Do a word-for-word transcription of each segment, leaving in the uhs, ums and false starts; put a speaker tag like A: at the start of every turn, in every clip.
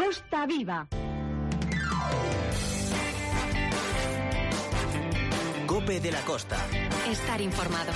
A: Costa Viva.
B: COPE de la Costa.
A: Estar informado.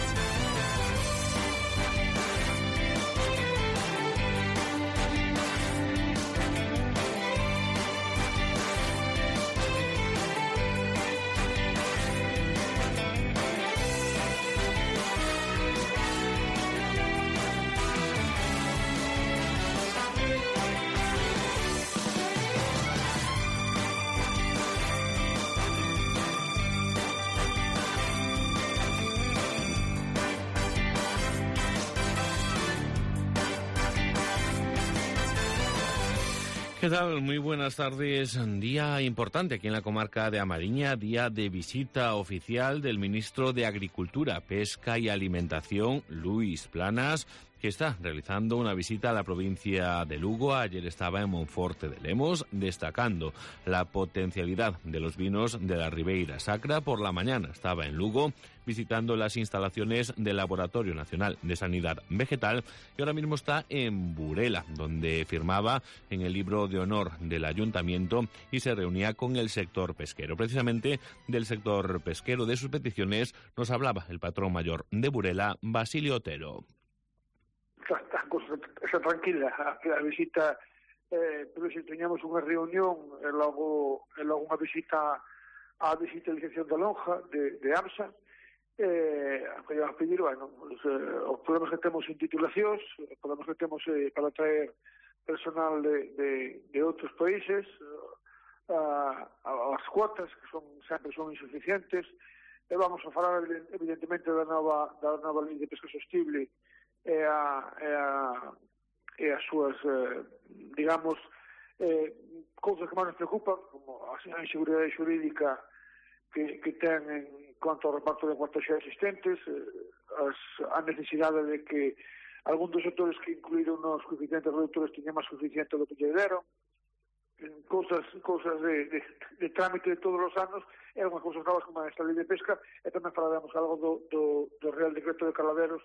C: ¿Qué tal? Muy buenas tardes. Día importante aquí en la comarca de A Mariña, día de visita oficial del ministro de Agricultura, Pesca y Alimentación, Luis Planas, que está realizando una visita a la provincia de Lugo. Ayer estaba en Monforte de Lemos, destacando la potencialidad de los vinos de la Ribeira Sacra. Por la mañana estaba en Lugo, visitando las instalaciones del Laboratorio Nacional de Sanidad Vegetal, y ahora mismo está en Burela, donde firmaba en el libro de honor del Ayuntamiento y se reunía con el sector pesquero. Precisamente del sector pesquero, de sus peticiones, nos hablaba el patrón mayor de Burela, Basilio Otero.
D: Está, está tranquila a, a visita, eh, pero se teñamos unha reunión e logo, e logo unha visita á digitalización da lonja de, de AMSA, eh, que a pedir, bueno, os, eh, os problemas que temos en titulacións, os problemas que temos eh, para traer personal de, de, de outros países, uh, as cuotas que son sempre son insuficientes, e vamos a falar evidentemente da nova, da nova lei de pesca sostible e a, e a, e as súas, eh, digamos, eh, cousas que máis nos preocupan, como a inseguridade xurídica que, que ten en cuanto ao reparto de cuotas xa existentes, eh, as, a necesidade de que algún dos sectores que incluíron nos coeficientes reductores teñan máis suficiente do que lle deron, cousas, cousas de, de, de trámite de todos os anos, e unhas cousas novas como esta lei de pesca, e tamén falaremos algo do, do, do Real Decreto de Caladeros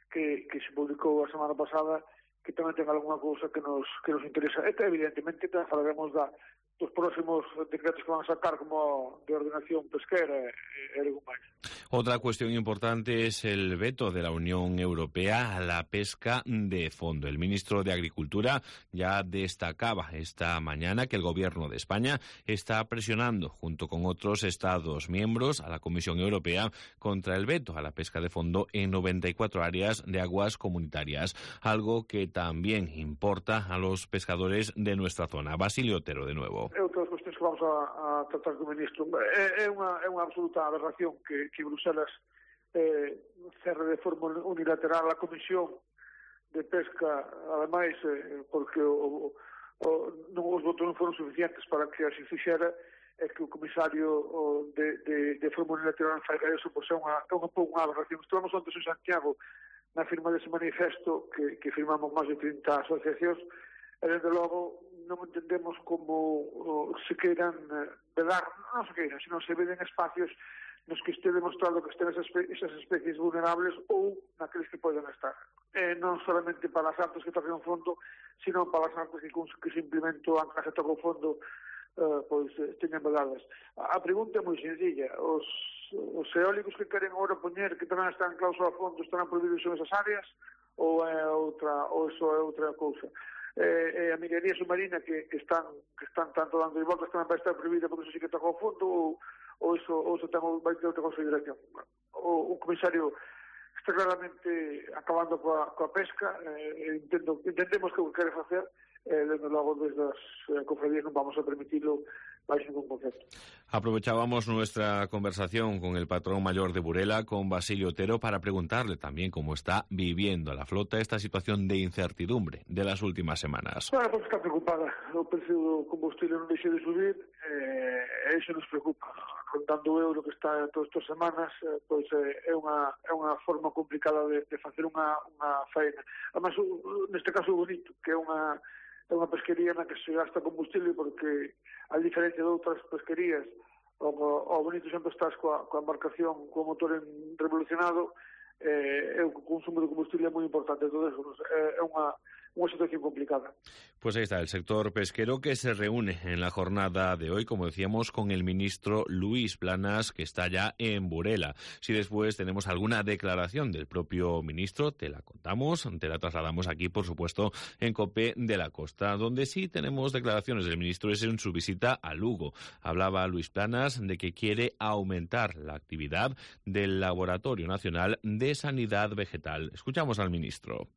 D: que, que se publicou a semana pasada, que tamén ten algunha cousa que nos, que nos interesa. E evidentemente tamén falaremos da, dos próximos decretos que van a sacar, como de ordenación pesquera e, e algo máis.
C: Otra cuestión importante es el veto de la Unión Europea a la pesca de fondo. El ministro de Agricultura ya destacaba esta mañana que el Gobierno de España está presionando, junto con otros Estados miembros, a la Comisión Europea contra el veto a la pesca de fondo en noventa y cuatro áreas de aguas comunitarias, algo que también importa a los pescadores de nuestra zona. Basilio Otero, de nuevo.
D: É outras cuestións que vamos a, a tratar co ministro. É, é, unha, é unha absoluta aberración que, que Bruselas eh, cerre de forma unilateral a Comisión de Pesca, ademais, eh, porque o, o, non, os votos non foron suficientes para que así fixera, é que o comisario o, de, de, de forma unilateral faiga eso, pois é unha, é unha, unha aberración. Estivemos antes en Santiago na firma dese manifesto que, que firmamos máis de trinta asociacións, e desde logo non entendemos como o, se queiran eh, vedar, non se queiran, sino se veden espacios nos que este demostrado que estén esas, esas especies vulnerables ou naqueles que poden estar. Eh, non solamente para as artes que tocan o fondo, sino para as artes que, que simplemente o ancla que toca o fondo eh, pois eh, teñan vedadas. A, a pregunta é moi sencilla. Os, os eólicos que queren agora poñer, que tamén están clausos a fondo, estarán prohibidos en esas áreas, ou é outra, ou iso é outra cousa? Eh, eh, a minería submarina que, que están que están tanto dando de voltas tamén vai estar prohibida porque eso sí que toca o fondo, ou, ou iso, ou iso ten, vai ter outra consideración. O, o comisario está claramente acabando coa, coa pesca, eh, entendo, entendemos que o que quere facer, eh, desde logo desde as eh, cofradías non vamos a permitirlo baixo ningún concepto.
C: Aprovechábamos nuestra conversación con el patrón mayor de Burela, con Basilio Otero, para preguntarle también cómo está viviendo la flota esta situación de incertidumbre de las últimas semanas.
D: Bueno, pues está preocupada. O precio do combustible non deixa de subir, eh, e iso nos preocupa. Rondando o euro que está todas estas semanas, eh, pois eh, é unha é unha forma complicada de, de facer unha, unha faena. Además, neste caso bonito, que é unha é unha pesquería na que se gasta combustible, porque a diferencia de outras pesquerías, o, o bonito sempre estás coa, coa embarcación, co motor revolucionado, eh, é o consumo de combustible é moi importante. Todo eso é unha, unha situación complicada.
C: Pues ahí está el sector pesquero que se reúne en la jornada de hoy, como decíamos, con el ministro Luis Planas, que está ya en Burela. Si después tenemos alguna declaración del propio ministro, te la contamos, te la trasladamos aquí, por supuesto, en COPE de la Costa. Donde sí tenemos declaraciones del ministro es en su visita a Lugo. Hablaba Luis Planas de que quiere aumentar la actividad del Laboratorio Nacional de Sanidad Vegetal. Escuchamos al ministro.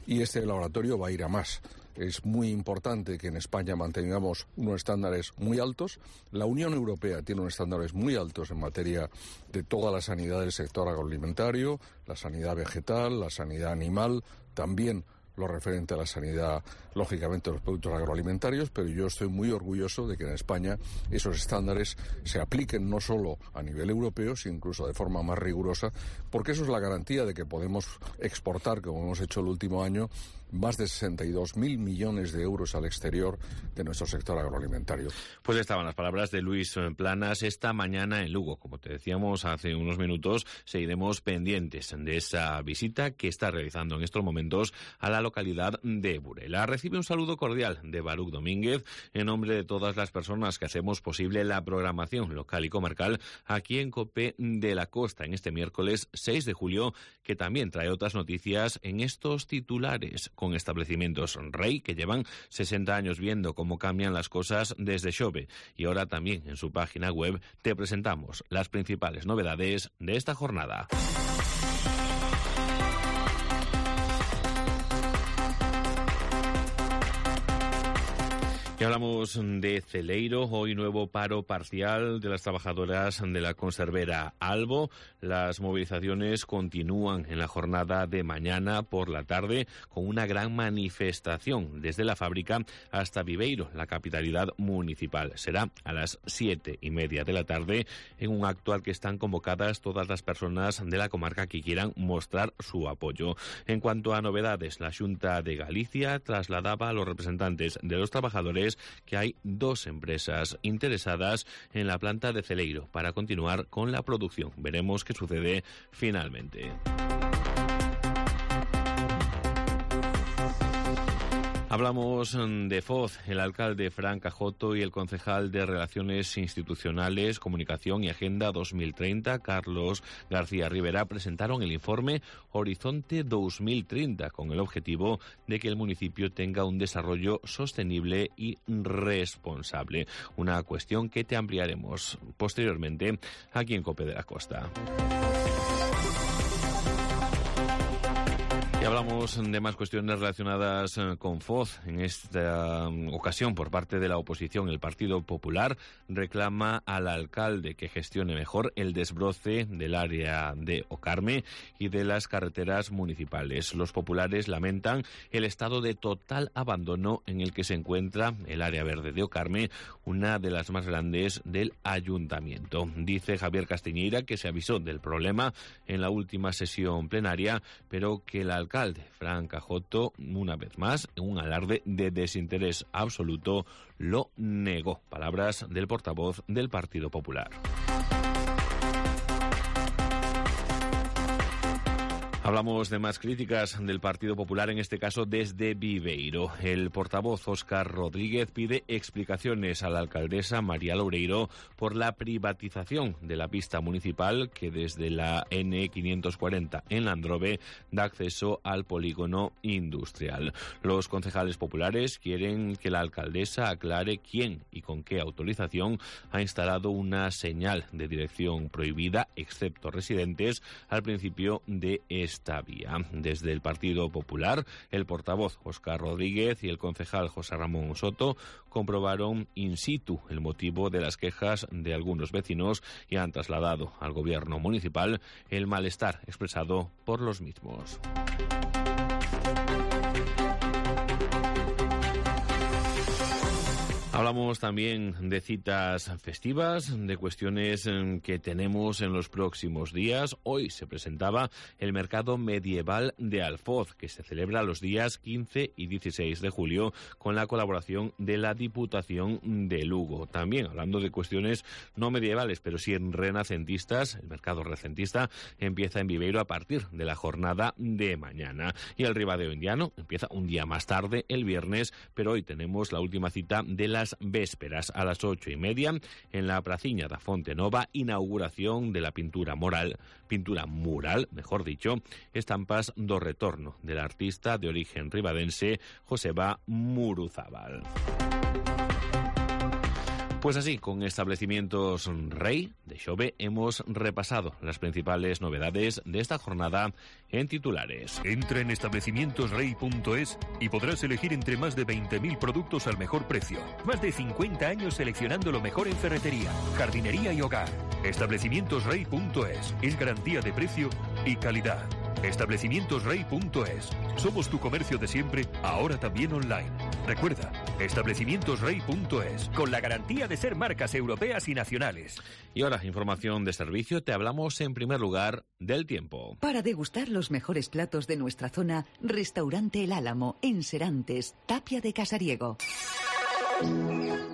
E: Y este laboratorio va a ir a más. Es muy importante que en España mantengamos unos estándares muy altos. La Unión Europea tiene unos estándares muy altos en materia de toda la sanidad del sector agroalimentario, la sanidad vegetal, la sanidad animal, también lo referente a la sanidad, lógicamente, de los productos agroalimentarios, pero yo estoy muy orgulloso de que en España esos estándares se apliquen no solo a nivel europeo, sino incluso de forma más rigurosa, porque eso es la garantía de que podemos exportar, como hemos hecho el último año, más de sesenta y dos mil millones de euros al exterior de nuestro sector agroalimentario.
C: Pues estaban las palabras de Luis Planas esta mañana en Lugo. Como te decíamos hace unos minutos, seguiremos pendientes de esa visita que está realizando en estos momentos a la localidad de Burela. Recibe un saludo cordial de Baruch Domínguez en nombre de todas las personas que hacemos posible la programación local y comarcal aquí en COPE de la Costa en este miércoles seis de julio, que también trae otras noticias en estos titulares, con establecimientos Rey que llevan sesenta años viendo cómo cambian las cosas desde Xove. Y ahora también en su página web te presentamos las principales novedades de esta jornada. Y hablamos de Celeiro, hoy nuevo paro parcial de las trabajadoras de la conservera Albo. Las movilizaciones continúan en la jornada de mañana por la tarde con una gran manifestación desde la fábrica hasta Viveiro, la capitalidad municipal. Será a las siete y media de la tarde en un acto al que están convocadas todas las personas de la comarca que quieran mostrar su apoyo. En cuanto a novedades, la Xunta de Galicia trasladaba a los representantes de los trabajadores que hay dos empresas interesadas en la planta de Celeiro para continuar con la producción. Veremos qué sucede finalmente. Hablamos de Foz. El alcalde Fran Cajoto y el concejal de Relaciones Institucionales, Comunicación y Agenda dos mil treinta, Carlos García Rivera, presentaron el informe Horizonte dos mil treinta con el objetivo de que el municipio tenga un desarrollo sostenible y responsable. Una cuestión que te ampliaremos posteriormente aquí en COPE de la Costa. Y hablamos de más cuestiones relacionadas con Foz. En esta ocasión, por parte de la oposición, el Partido Popular reclama al alcalde que gestione mejor el desbroce del área de Ocarme y de las carreteras municipales. Los populares lamentan el estado de total abandono en el que se encuentra el área verde de Ocarme, una de las más grandes del ayuntamiento. Dice Javier Castiñeira que se avisó del problema en la última sesión plenaria, pero que el alcalde alcalde Fran Cajoto, una vez más, en un alarde de desinterés absoluto, lo negó. Palabras del portavoz del Partido Popular. Hablamos de más críticas del Partido Popular, en este caso desde Viveiro. El portavoz Óscar Rodríguez pide explicaciones a la alcaldesa María Loureiro por la privatización de la pista municipal que desde la N quinientos cuarenta en Landrove da acceso al polígono industrial. Los concejales populares quieren que la alcaldesa aclare quién y con qué autorización ha instalado una señal de dirección prohibida, excepto residentes, al principio de este esta vía. Desde el Partido Popular, el portavoz Óscar Rodríguez y el concejal José Ramón Soto comprobaron in situ el motivo de las quejas de algunos vecinos y han trasladado al gobierno municipal el malestar expresado por los mismos. Hablamos también de citas festivas, de cuestiones que tenemos en los próximos días. Hoy se presentaba el Mercado Medieval de Alfoz, que se celebra los días quince y dieciséis de julio con la colaboración de la Diputación de Lugo. También hablando de cuestiones no medievales, pero sí renacentistas, el mercado renacentista empieza en Viveiro a partir de la jornada de mañana. Y el Ribadeo Indiano empieza un día más tarde, el viernes, pero hoy tenemos la última cita de las vésperas a las ocho y media en la Praciña da Fonte Nova, inauguración de la pintura mural, pintura mural, mejor dicho, Estampas do Retorno, del artista de origen ribadense Joseba Muruzábal. Pues así, con Establecimientos Rey de Xove hemos repasado las principales novedades de esta jornada en titulares.
F: Entra en establecimientos rey punto es y podrás elegir entre más de veinte mil productos al mejor precio. Más de cincuenta años seleccionando lo mejor en ferretería, jardinería y hogar. establecimientos rey punto es es garantía de precio y calidad. establecimientos rey punto es. Somos tu comercio de siempre, ahora también online. Recuerda, establecimientos rey punto es, con la garantía de ser marcas europeas y nacionales.
C: Y ahora, información de servicio, te hablamos en primer lugar del tiempo.
G: Para degustar los mejores platos de nuestra zona, Restaurante El Álamo, en Serantes, Tapia de Casariego.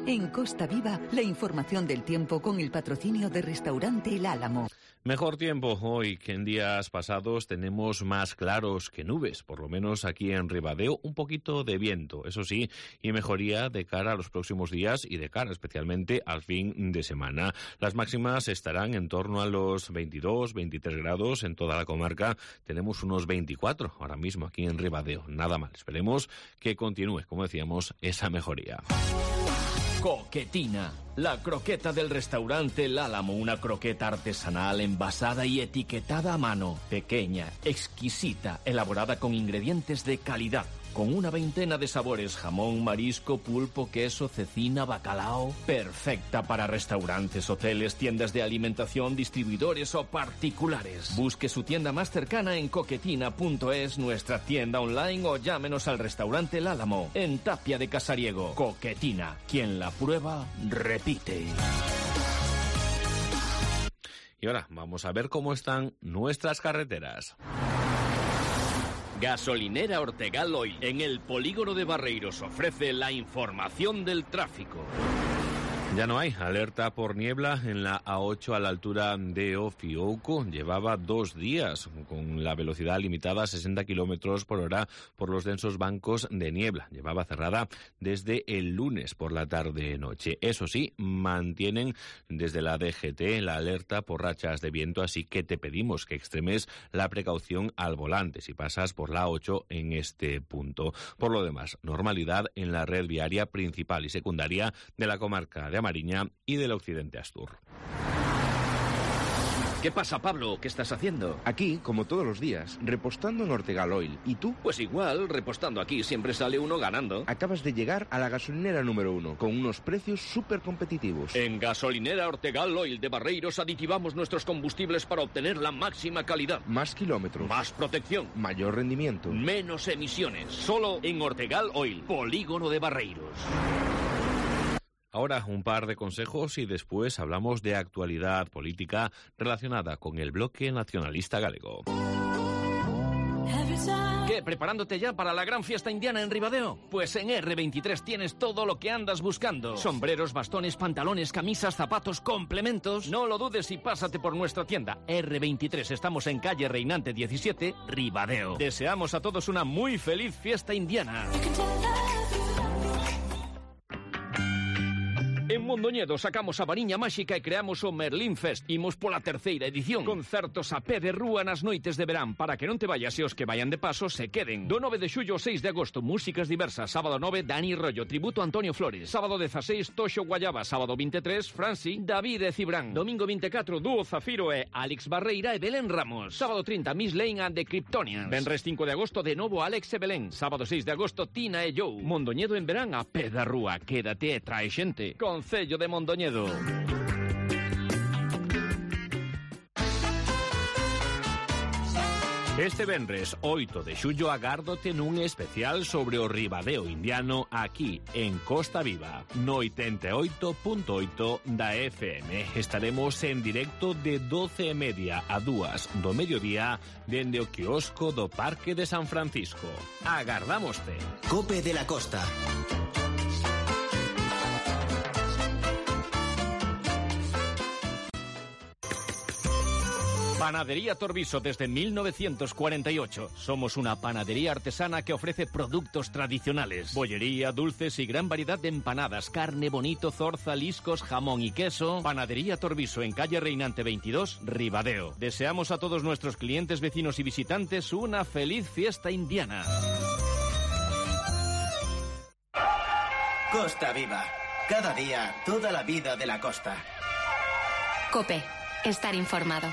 G: En Costa Viva, la información del tiempo con el patrocinio de Restaurante El Álamo.
C: Mejor tiempo hoy que en días pasados. Tenemos más claros que nubes, por lo menos aquí en Ribadeo, un poquito de viento, eso sí, y mejoría de cara a los próximos días y de cara especialmente al fin de semana. Las máximas estarán en torno a los veintidós, veintitrés grados en toda la comarca. Tenemos unos veinticuatro ahora mismo aquí en Ribadeo, nada mal. Esperemos que continúe, como decíamos, esa mejoría.
H: Coquetina, la croqueta del restaurante El Álamo, una croqueta artesanal envasada y etiquetada a mano, pequeña, exquisita, elaborada con ingredientes de calidad, con una veintena de sabores: jamón, marisco, pulpo, queso, cecina, bacalao. Perfecta para restaurantes, hoteles, tiendas de alimentación, distribuidores o particulares. Busque su tienda más cercana en coquetina punto es, nuestra tienda online, o llámenos al restaurante El Álamo, en Tapia de Casariego. Coquetina, quien la prueba, repite.
C: Y ahora vamos a ver cómo están nuestras carreteras.
H: Gasolinera Ortegal Oil, en el polígono de Barreiros, ofrece la información del tráfico.
C: Ya no hay alerta por niebla en la A ocho a la altura de Ofiouco. Llevaba dos días con la velocidad limitada a sesenta kilómetros por hora por los densos bancos de niebla. Llevaba cerrada desde el lunes por la tarde-noche. Eso sí, mantienen desde la D G T la alerta por rachas de viento, así que te pedimos que extremes la precaución al volante si pasas por la A ocho en este punto. Por lo demás, normalidad en la red viaria principal y secundaria de la comarca de Amariña y del occidente Astur.
H: ¿Qué pasa, Pablo? ¿Qué estás haciendo?
I: Aquí, como todos los días, repostando en Ortegal Oil. ¿Y tú?
H: Pues igual, repostando aquí siempre sale uno ganando.
I: Acabas de llegar a la gasolinera número uno, con unos precios súper competitivos.
H: En Gasolinera Ortegal Oil de Barreiros aditivamos nuestros combustibles para obtener la máxima calidad.
I: Más kilómetros.
H: Más protección.
I: Mayor rendimiento.
H: Menos emisiones. Solo en Ortegal Oil, polígono de Barreiros.
C: Ahora un par de consejos y después hablamos de actualidad política relacionada con el bloque nacionalista galego.
H: ¿Qué? ¿Preparándote ya para la gran fiesta indiana en Ribadeo? Pues en erre veintitrés tienes todo lo que andas buscando. Sombreros, bastones, pantalones, camisas, zapatos, complementos. No lo dudes y pásate por nuestra tienda. erre veintitrés, estamos en calle Reinante diecisiete, Ribadeo. Deseamos a todos una muy feliz fiesta indiana. En Mondoñedo sacamos a variña máxica e creamos o Merlín Fest. Imos pola terceira edición. Concertos a pé de rúa nas noites de verán, para que non te vayas e os que vayan de paso se queden. Do nove de xullo ao seis de agosto, músicas diversas. Sábado nove, Dani Rollo, tributo a Antonio Flores. Sábado dezaseis, Toxo Guayaba. Sábado veintitrés, Franci, David e Cibrán. Domingo veinticuatro, Dúo Zafiro e Alex Barreira e Belén Ramos. Sábado trinta, Miss Lane and the Kryptonians. Venres cinco de agosto, de novo Alex e Belén. Sábado seis de agosto, Tina e Joe. Mondoñedo en verán a pé da rúa. Quédate e trae xente. Concello de Mondoñedo.
C: Este venres oito de xullo agárdote nun especial sobre o ribadeo indiano aquí en Costa Viva, no oitenta e oito punto oito da F M. Estaremos en directo de doce e media a dúas do mediodía dende o quiosco do Parque de San Francisco. Agardámoste.
B: Cope de la Costa.
H: Panadería Torviso desde mil novecientos cuarenta y ocho. Somos una panadería artesana que ofrece productos tradicionales. Bollería, dulces y gran variedad de empanadas, carne, bonito, zorza, liscos, jamón y queso. Panadería Torviso en calle Reinante veintidós, Ribadeo. Deseamos a todos nuestros clientes, vecinos y visitantes una feliz fiesta indiana.
B: Costa Viva. Cada día, toda la vida de la costa.
A: COPE. Estar informado.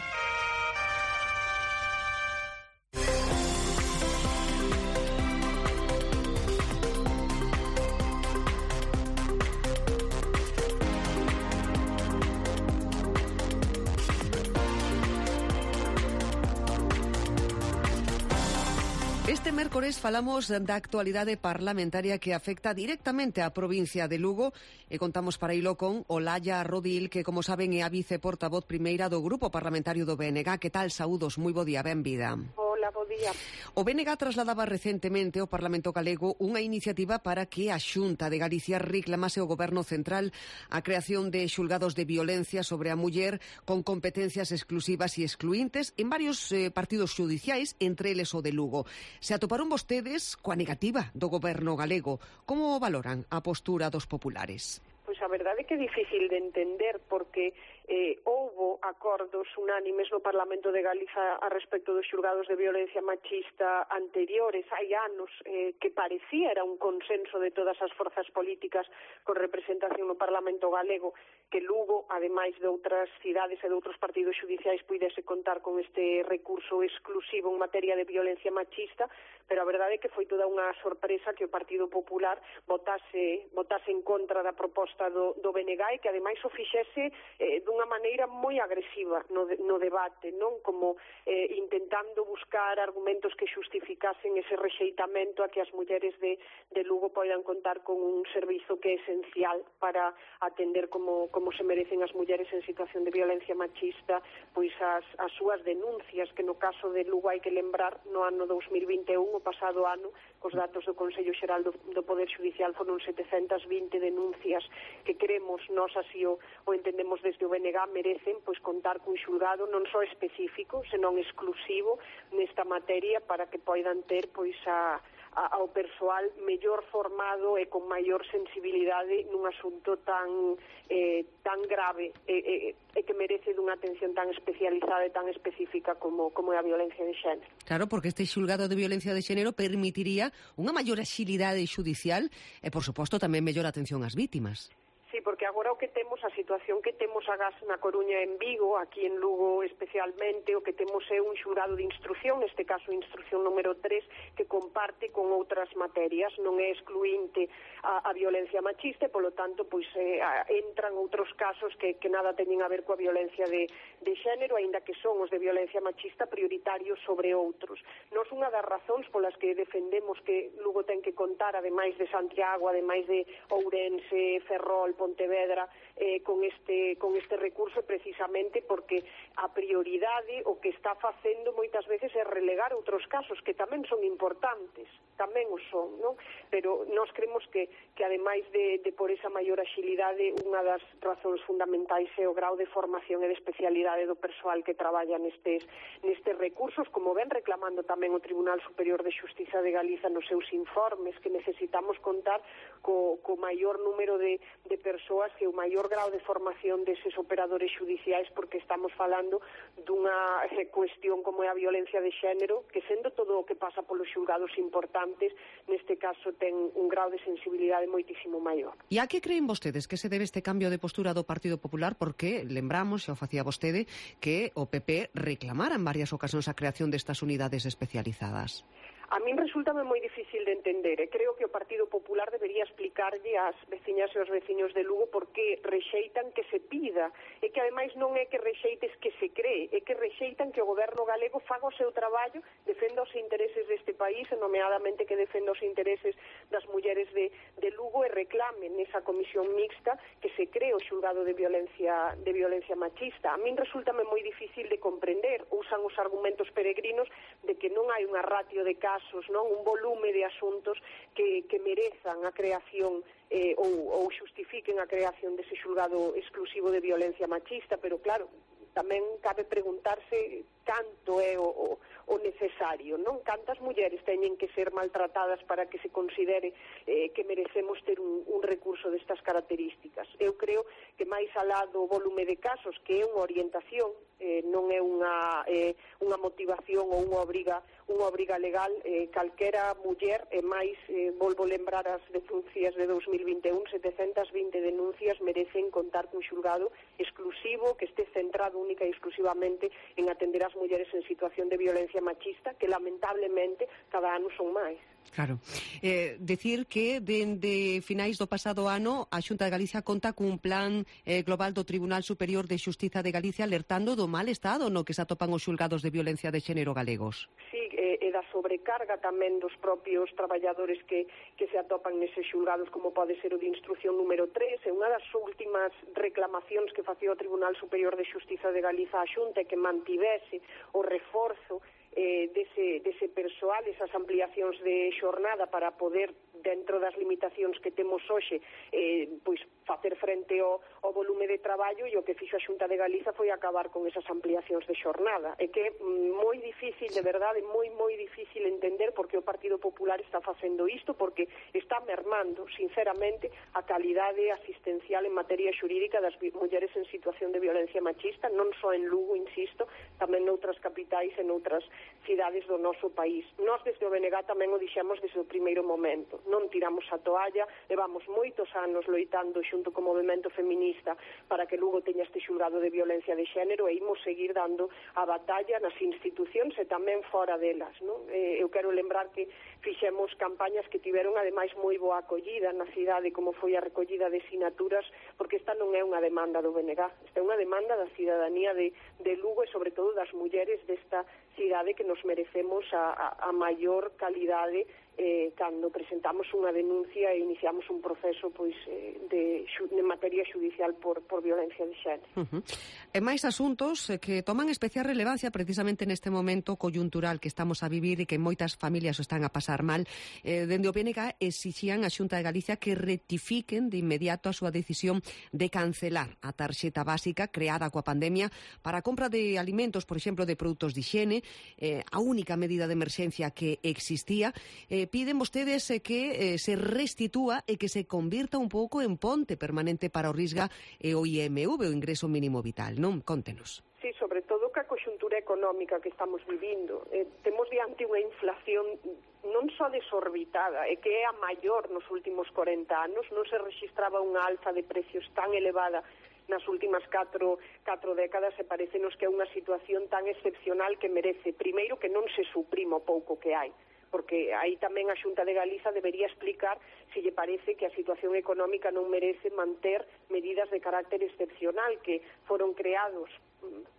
J: Este mércores falamos da actualidade parlamentaria que afecta directamente á provincia de Lugo e contamos para ilo con Olalla Rodil, que, como saben, é a viceportavoz primeira do Grupo Parlamentario do B N G. Que tal? Saúdos, moi bo día, benvida.
K: Hola, bo día.
J: O B N G trasladaba recentemente ao Parlamento Galego unha iniciativa para que a Xunta de Galicia reclamase ao Goberno Central a creación de xulgados de violencia sobre a muller con competencias exclusivas e excluíntes en varios eh, partidos xudiciais, entre eles o de Lugo. Se atoparon vostedes coa negativa do Goberno galego. Como valoran a postura dos populares?
K: Pois a verdade é que é difícil de entender porque eh, houbo acordos unánimes no Parlamento de Galiza a respecto dos xulgados de violencia machista anteriores. Hai anos eh, que parecía era un consenso de todas as forzas políticas con representación no Parlamento galego que Lugo, ademais de outras cidades e de outros partidos xudiciais, puidese contar con este recurso exclusivo en materia de violencia machista, pero a verdade é que foi toda unha sorpresa que o Partido Popular votase, votase en contra da proposta do, do B N G e que ademais o fixese eh, dunha maneira moi agresiva no, de, no debate, non? Como eh, intentando buscar argumentos que xustificasen ese rexeitamento a que as mulleres de, de Lugo poidan contar con un servizo que é esencial para atender como, como se merecen as mulleres en situación de violencia machista, pois as, as súas denuncias, que no caso de Lugo hai que lembrar, no ano dous mil vinte e un, o pasado ano, cos datos do Consello Xeral do, do Poder Xudicial, foron setecentas vinte denuncias que queremos, nós así o, o entendemos desde o B N G, merecen pois contar cun xulgado non só específico, senón exclusivo nesta materia para que poidan ter pois a ao persoal mellor formado e con maior sensibilidade nun asunto tan eh, tan grave e, e, e que merece dunha atención tan especializada e tan específica como, como é a violencia de xénero.
J: Claro, porque este xulgado de violencia de xénero permitiría unha maior axilidade xudicial e, por suposto, tamén mellor atención ás vítimas.
K: Sí, porque agora o que temos, a situación que temos agás na Coruña e en Vigo, aquí en Lugo especialmente, o que temos é un xurado de instrucción, neste caso instrucción número tres, que comparte con outras materias, non é excluinte a, a violencia machista e, polo tanto, pois eh, a, entran outros casos que, que nada teñen a ver coa violencia de, de xénero, aínda que son os de violencia machista prioritarios sobre outros. Nos unha das razóns polas que defendemos que Lugo ten que contar, ademais de Santiago, ademais de Ourense, Ferrol, Pontevedra, eh, con este con este recurso precisamente porque a prioridade o que está facendo moitas veces é relegar outros casos que tamén son importantes, tamén o son, non? Pero nós creemos que, que ademais de, de por esa maior axilidade, unha das razóns fundamentais é o grau de formación e de especialidade do persoal que traballa nestes, nestes recursos, como ven reclamando tamén o Tribunal Superior de Xustiza de Galiza nos seus informes, que necesitamos contar co, co maior número de, de persoas e o maior grau de formación deses operadores xudiciais, porque estamos falando dunha eh, cuestión como é a violencia de xénero, que sendo todo o que pasa polos xulgados importantes, neste caso ten un grau de sensibilidade moitísimo maior.
J: E a que creen vostedes que se debe este cambio de postura do Partido Popular? Porque lembramos, xa o facía vostede, que o P P reclamara en varias ocasións a creación destas unidades especializadas.
K: A min resultame moi difícil de entender e creo que o Partido Popular debería explicarlle ás veciñas e aos veciños de Lugo por que rexeitan que se pida e que ademais non é que rexeites que se cree, é que rexeitan que o goberno galego faga o seu traballo, defenda os intereses deste país e nomeadamente que defenda os intereses das mulleres de, de Lugo e reclamen nesa comisión mixta que se cree o xulgado de violencia de violencia machista. A min resultame moi difícil de comprender, usan os argumentos peregrinos de que non hai unha ratio de casos casos, non? Un volume de asuntos que, que merezan a creación eh, ou, ou xustifiquen a creación dese xulgado exclusivo de violencia machista, pero claro, tamén cabe preguntarse canto é o, o, o necesario, non? Cantas mulleres teñen que ser maltratadas para que se considere eh, que merecemos ter un, un recurso destas características. Eu creo que máis alá do volume de casos, que é unha orientación, eh, non é unha, eh, unha motivación ou unha obriga, unha obriga legal, eh, calquera muller, e máis, eh, volvo lembrar as denuncias de dos mil vinte e un, setecentas vinte denuncias merecen contar cun xulgado exclusivo que este centrado única e exclusivamente en atender as mulleres en situación de violencia machista, que lamentablemente cada ano son máis.
J: Claro. Eh, decir que dende finais do pasado ano a Xunta de Galicia conta cun plan eh, global do Tribunal Superior de Xustiza de Galicia alertando do mal estado no que se atopan os xulgados de violencia de xénero galegos.
K: Sí, e, e da sobrecarga tamén dos propios traballadores que, que se atopan neses xulgados, como pode ser o de instrucción número tres, e unha das últimas reclamacións que facía o Tribunal Superior de Xustiza de Galiza a Xunta é que mantivese o reforzo eh, dese, dese persoal, esas ampliacións de xornada para poder, dentro das limitacións que temos hoxe, eh, pois facer frente ao, ao volume de traballo, e o que fixo a Xunta de Galiza foi acabar con esas ampliacións de xornada. É que é moi difícil, de verdade, moi, moi difícil entender por que o Partido Popular está facendo isto, porque está mermando, sinceramente, a calidade asistencial en materia xurídica das mulleres en situación de violencia machista, non só en Lugo, insisto, tamén noutras capitais e noutras cidades do noso país. Nós desde o B N G tamén o dixemos desde o primeiro momento. Non tiramos a toalla, levamos moitos anos loitando xunto co movimento feminista para que Lugo teña este xulgado de violencia de xénero, e imos seguir dando a batalla nas institucións e tamén fora delas, non? Eh, eu quero lembrar que fixemos campañas que tiveron ademais moi boa acollida na cidade, como foi a recollida de sinaturas, porque esta non é unha demanda do B N G, esta é unha demanda da cidadanía de, de Lugo e sobre todo das mulleres desta cidade, que nos merecemos a, a, a maior calidade eh, cando presentamos unha denuncia e iniciamos un proceso pois eh, de, de materia judicial por, por violencia de xénero.
J: Uh-huh. E máis asuntos eh, que toman especial relevancia precisamente neste momento coyuntural que estamos a vivir e que moitas familias o están a pasar mal. Eh, dende o B N G exixían a Xunta de Galicia que rectifiquen de inmediato a súa decisión de cancelar a tarxeta básica creada coa pandemia para a compra de alimentos, por exemplo, de produtos de higiene, eh, a única medida de emerxencia que existía. Eh, piden vostedes eh, que eh, se restitúa e que se convirta un pouco en ponte permanente para o Risga e o I M V, o ingreso mínimo vital, non? Contenos.
K: Sí, sobre todo ca conxuntura económica que estamos vivindo. Eh, temos diante unha inflación non só desorbitada, é que é a maior nos últimos corenta anos, non se registraba unha alza de precios tan elevada nas últimas catro, catro décadas, e parecenos que é unha situación tan excepcional que merece, primeiro, que non se suprima o pouco que hai, porque aí tamén a Xunta de Galiza debería explicar se lle parece que a situación económica non merece manter medidas de carácter excepcional que foron creados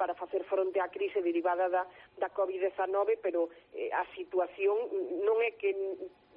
K: para facer fronte á crise derivada da, da covid dezanove, pero eh, a situación non é que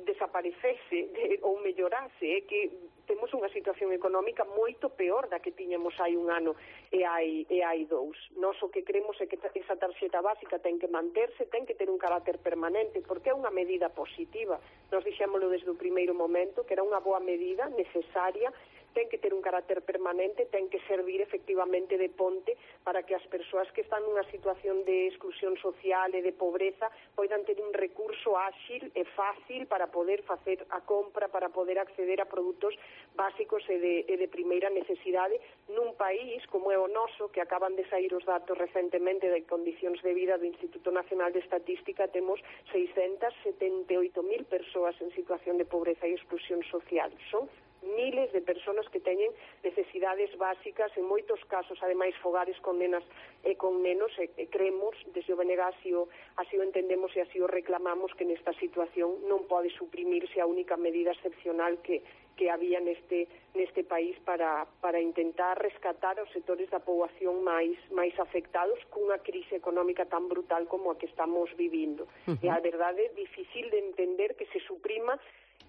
K: desaparecese de, ou mellorase, é que temos unha situación económica moito peor da que tiñamos hai un ano e hai, e hai dous. Nós o que creemos é que esa tarxeta básica ten que manterse, ten que ter un carácter permanente, porque é unha medida positiva. Nós dixémolo desde o primeiro momento, que era unha boa medida, necesaria, ten que ter un carácter permanente, ten que servir efectivamente de ponte para que as persoas que están nunha situación de exclusión social e de pobreza poidan ter un recurso áxil e fácil para poder facer a compra, para poder acceder a produtos básicos e de, e de primeira necesidade nun país como é o noso, que acaban de sair os datos recentemente de condicións de vida do Instituto Nacional de Estatística. Temos seiscentas setenta e oito mil persoas en situación de pobreza e exclusión social. Son miles de persoas persoas que teñen necesidades básicas, en moitos casos, ademais, fogares con nenas e con nenos, e, e creemos, desde o B N G así o, así o entendemos e así o reclamamos, que nesta situación non pode suprimirse a única medida excepcional que que había neste neste país para para intentar rescatar os sectores da poboación máis máis afectados cunha crise económica tan brutal como a que estamos vivindo. Uh-huh. E a verdade é difícil de entender que se suprima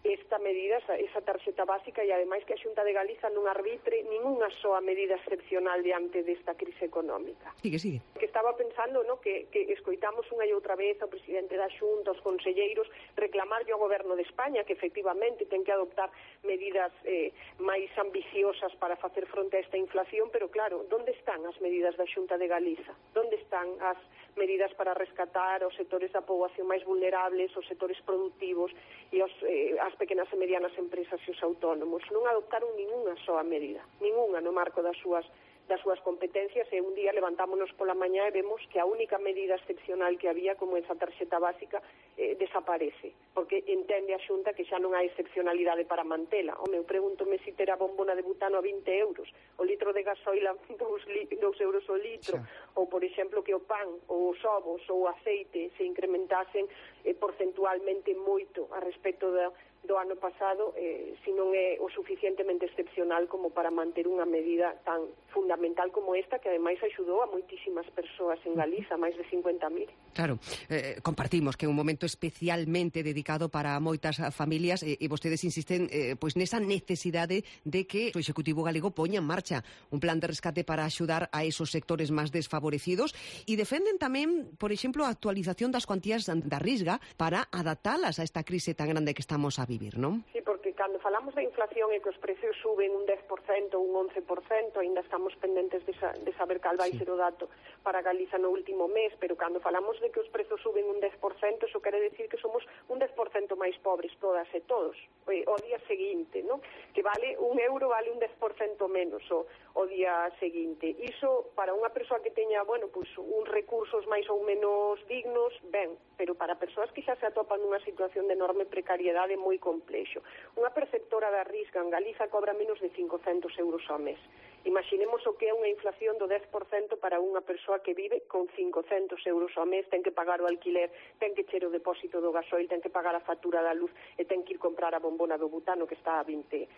K: esta medida, esa, esa tarxeta básica, e ademais que a Xunta de Galiza non arbitre ningunha soa medida excepcional diante desta crise económica.
J: Sigue, sigue.
K: Que estaba pensando, no, que, que escoitamos unha e outra vez ao presidente da Xunta, aos conselleiros, reclamarlle ao goberno de España que efectivamente ten que adoptar medidas eh, máis ambiciosas para facer fronte a esta inflación, pero claro, onde están as medidas da Xunta de Galiza? Onde están as medidas para rescatar os sectores da poboación máis vulnerables, os sectores productivos e os, eh, as pequenas e medianas empresas e os autónomos? Non adoptaron ningunha soa medida, ningunha no marco das súas das súas competencias, e un día levantámonos pola mañá e vemos que a única medida excepcional que había, como esa tarxeta básica, eh, desaparece, porque entende a Xunta que xa non hai excepcionalidade para mantela. Home, eu pregúntome se ter a bombona de butano a vinte euros, o litro de gasoil a dous euros o litro, xa. Ou, por exemplo, que o pan, ou os ovos, ou o aceite se incrementasen eh, porcentualmente moito a respecto da do ano pasado, eh, se non é o suficientemente excepcional como para manter unha medida tan fundamental como esta, que ademais axudou a moitísimas persoas en Galiza, máis de cincuenta mil.
J: Claro, eh, compartimos que é un momento especialmente dedicado para moitas familias, e, e vostedes insisten eh, pois nesa necesidade de que o Executivo galego poña en marcha un plan de rescate para axudar a esos sectores máis desfavorecidos, e defenden tamén, por exemplo, a actualización das cuantías da Risga para adaptalas a esta crise tan grande que estamos a vivir, non?
K: Sí, porque cando falamos da inflación e que os precios suben un dez por cento ou un once por cento, ainda estamos pendentes de, sa de saber cal vai sí. ser o dato para Galiza no último mes, pero cando falamos de que os prezos suben un dez por cento, eso quere decir que somos un dez por cento máis pobres todas e todos, o día seguinte, non? Que vale un euro, vale un dez por cento menos o, o día seguinte. Iso, para unha persoa que teña, bueno, pues, uns recursos máis ou menos dignos, ben, pero para persoas que xa se atopan nunha situación de enorme precariedade moi complexo. Unha perceptora da Risga en Galiza cobra menos de cincocentos euros ao mes. Imaginemos o que é unha inflación do dez por cento para unha persoa que vive con cincocentos euros ao mes, ten que pagar o alquiler, ten que cher o depósito do gasoil, ten que pagar a factura da luz e ten que ir comprar a bombona do butano que está a vinte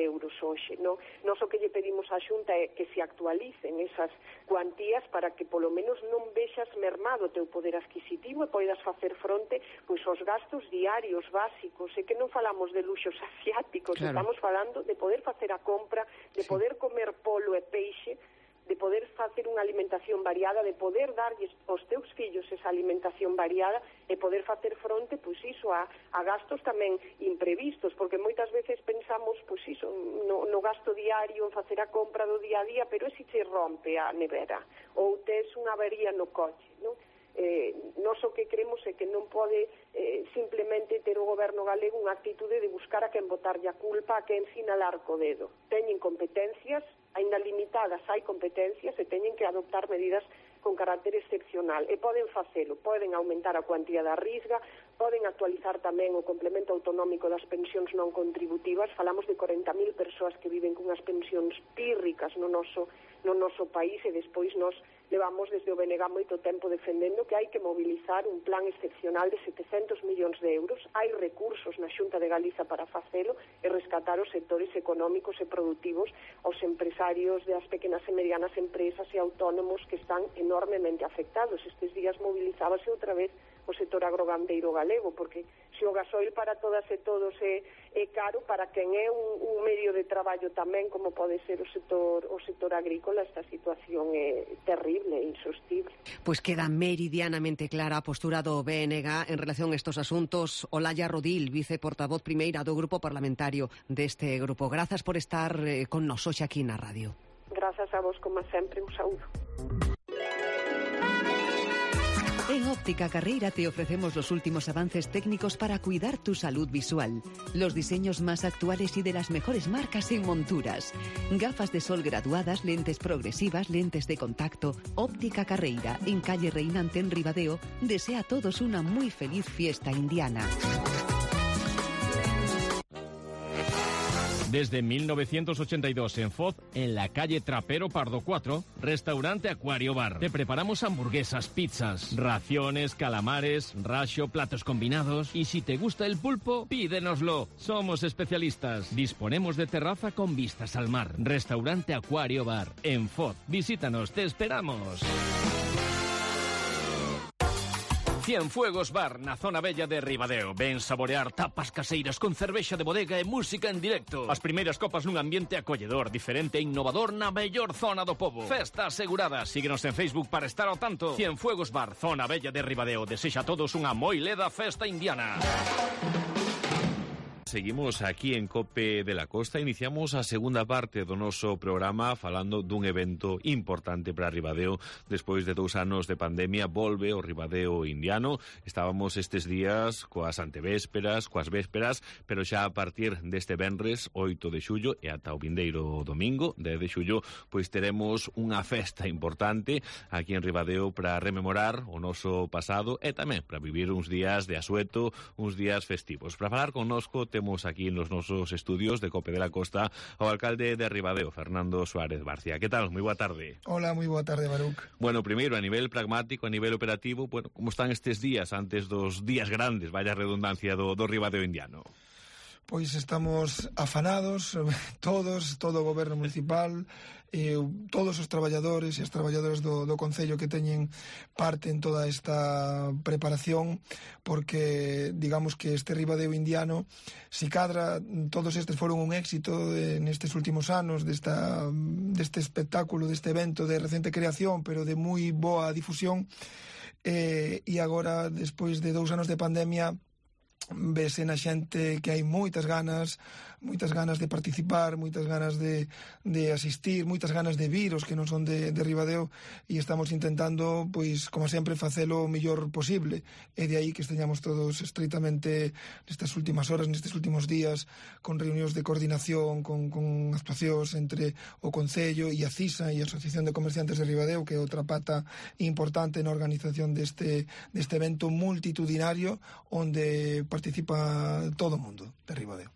K: euros hoxe, non? Nos o que lle pedimos á Xunta é que se actualicen esas cuantías para que polo menos non vexas mermado o teu poder adquisitivo e poidas facer fronte pois aos gastos diarios básicos, e que non falamos de luxos asiáticos, claro. Estamos falando de poder facer a compra, de sí. poder comer polo e peixe, de poder facer unha alimentación variada, de poder darlles aos teus fillos esa alimentación variada e poder facer fronte, pois iso, a, a gastos tamén imprevistos, porque moitas veces pensamos, pois iso, no, no gasto diario, en facer a compra do día a día, pero e se che rompe a nevera, ou tes unha avería no coche, non? Eh, nós o que creemos é que non pode eh, simplemente ter o goberno galego unha actitude de buscar a quen botarlle a culpa, a quen sinalar co dedo. Teñen competencias, aínda limitadas hai competencias, e teñen que adoptar medidas con carácter excepcional, e poden facelo, poden aumentar a cuantía da Risga, poden actualizar tamén o complemento autonómico das pensións non contributivas. Falamos de corenta mil persoas que viven cunhas pensións pírricas no noso, no noso país, e despois nós levamos desde o B N G moito tempo defendendo que hai que mobilizar un plan excepcional de setecentos millóns de euros. Hai recursos na Xunta de Galiza para facelo e rescatar os sectores económicos e productivos, aos empresarios das pequenas e medianas empresas e autónomos que están enormemente afectados. Estes días movilizábase outra vez o sector agrogandeiro galego, porque se o gasoil para todas e todos é, é caro, para quen é un, un medio de traballo tamén, como pode ser o sector, o sector agrícola, esta situación é terrible e insostible.
J: Pois queda meridianamente clara a postura do B N G en relación a estos asuntos. Olalla Rodil, viceportavoz primeira do Grupo Parlamentario deste grupo. Grazas por estar eh, con nos hoxe aquí na radio.
K: Grazas a vos, como sempre, un saúdo.
G: En Óptica Carreira te ofrecemos los últimos avances técnicos para cuidar tu salud visual, los diseños más actuales y de las mejores marcas en monturas, gafas de sol graduadas, lentes progresivas, lentes de contacto. Óptica Carreira, en calle Reinante en Ribadeo, desea a todos una muy feliz fiesta indiana.
H: Desde mil novecientos ochenta y dos en Foz, en la calle Trapero Pardo cuatro, restaurante Acuario Bar. Te preparamos hamburguesas, pizzas, raciones, calamares, racho, platos combinados. Y si te gusta el pulpo, pídenoslo. Somos especialistas. Disponemos de terraza con vistas al mar. Restaurante Acuario Bar, en Foz. Visítanos, te esperamos. Cienfuegos Bar, na zona bella de Ribadeo. Ven saborear tapas caseiras con cervexa de bodega e música en directo. As primeiras copas nun ambiente acolledor, diferente e innovador na mellor zona do pobo. Festa asegurada. Síguenos en Facebook para estar ao tanto. Cienfuegos Bar, zona bella de Ribadeo. Desexa a todos unha moi leda festa indiana.
C: Seguimos aquí en COPE de la Costa. Iniciamos a segunda parte do noso programa falando dun evento importante para Ribadeo. Despois de dous anos de pandemia, volve o Ribadeo indiano. Estábamos estes días coas antevésperas, coas vésperas, pero xa a partir deste venres oito de xullo e ata o vindeiro domingo, dez de xullo, pois teremos unha festa importante aquí en Ribadeo para rememorar o noso pasado e tamén para vivir uns días de asueto, uns días festivos. Para falar connosco, temos aquí nos nosos estudios de COPE de la Costa ao alcalde de Ribadeo, Fernando Suárez Barcia. Que tal? Moi boa tarde.
L: Hola, moi boa tarde, Baruc.
C: Bueno, primeiro, a nivel pragmático, a nivel operativo, bueno, como están estes días antes dos días grandes, vaya redundancia, do, do Ribadeo indiano?
L: Pois estamos afanados, todos, todo o goberno municipal, eh, todos os traballadores e as traballadoras do, do Concello que teñen parte en toda esta preparación, porque digamos que este Ribadeo indiano, si cadra, todos estes foron un éxito de, nestes últimos anos desta, deste espectáculo, deste evento de recente creación, pero de moi boa difusión, eh, e agora, despois de dous anos de pandemia, vese na xente que hai moitas ganas, moitas ganas de participar, moitas ganas de, de asistir, moitas ganas de vir os que non son de, de Ribadeo, e estamos intentando, pois, como sempre, facelo o mellor posible. E de aí que esteñamos todos estreitamente nestas últimas horas, nestes últimos días, con reunións de coordinación, con, con actuacións entre o Concello e a CISA e a Asociación de Comerciantes de Ribadeo, que é outra pata importante na organización deste, deste evento multitudinario onde participa todo o mundo de Ribadeo.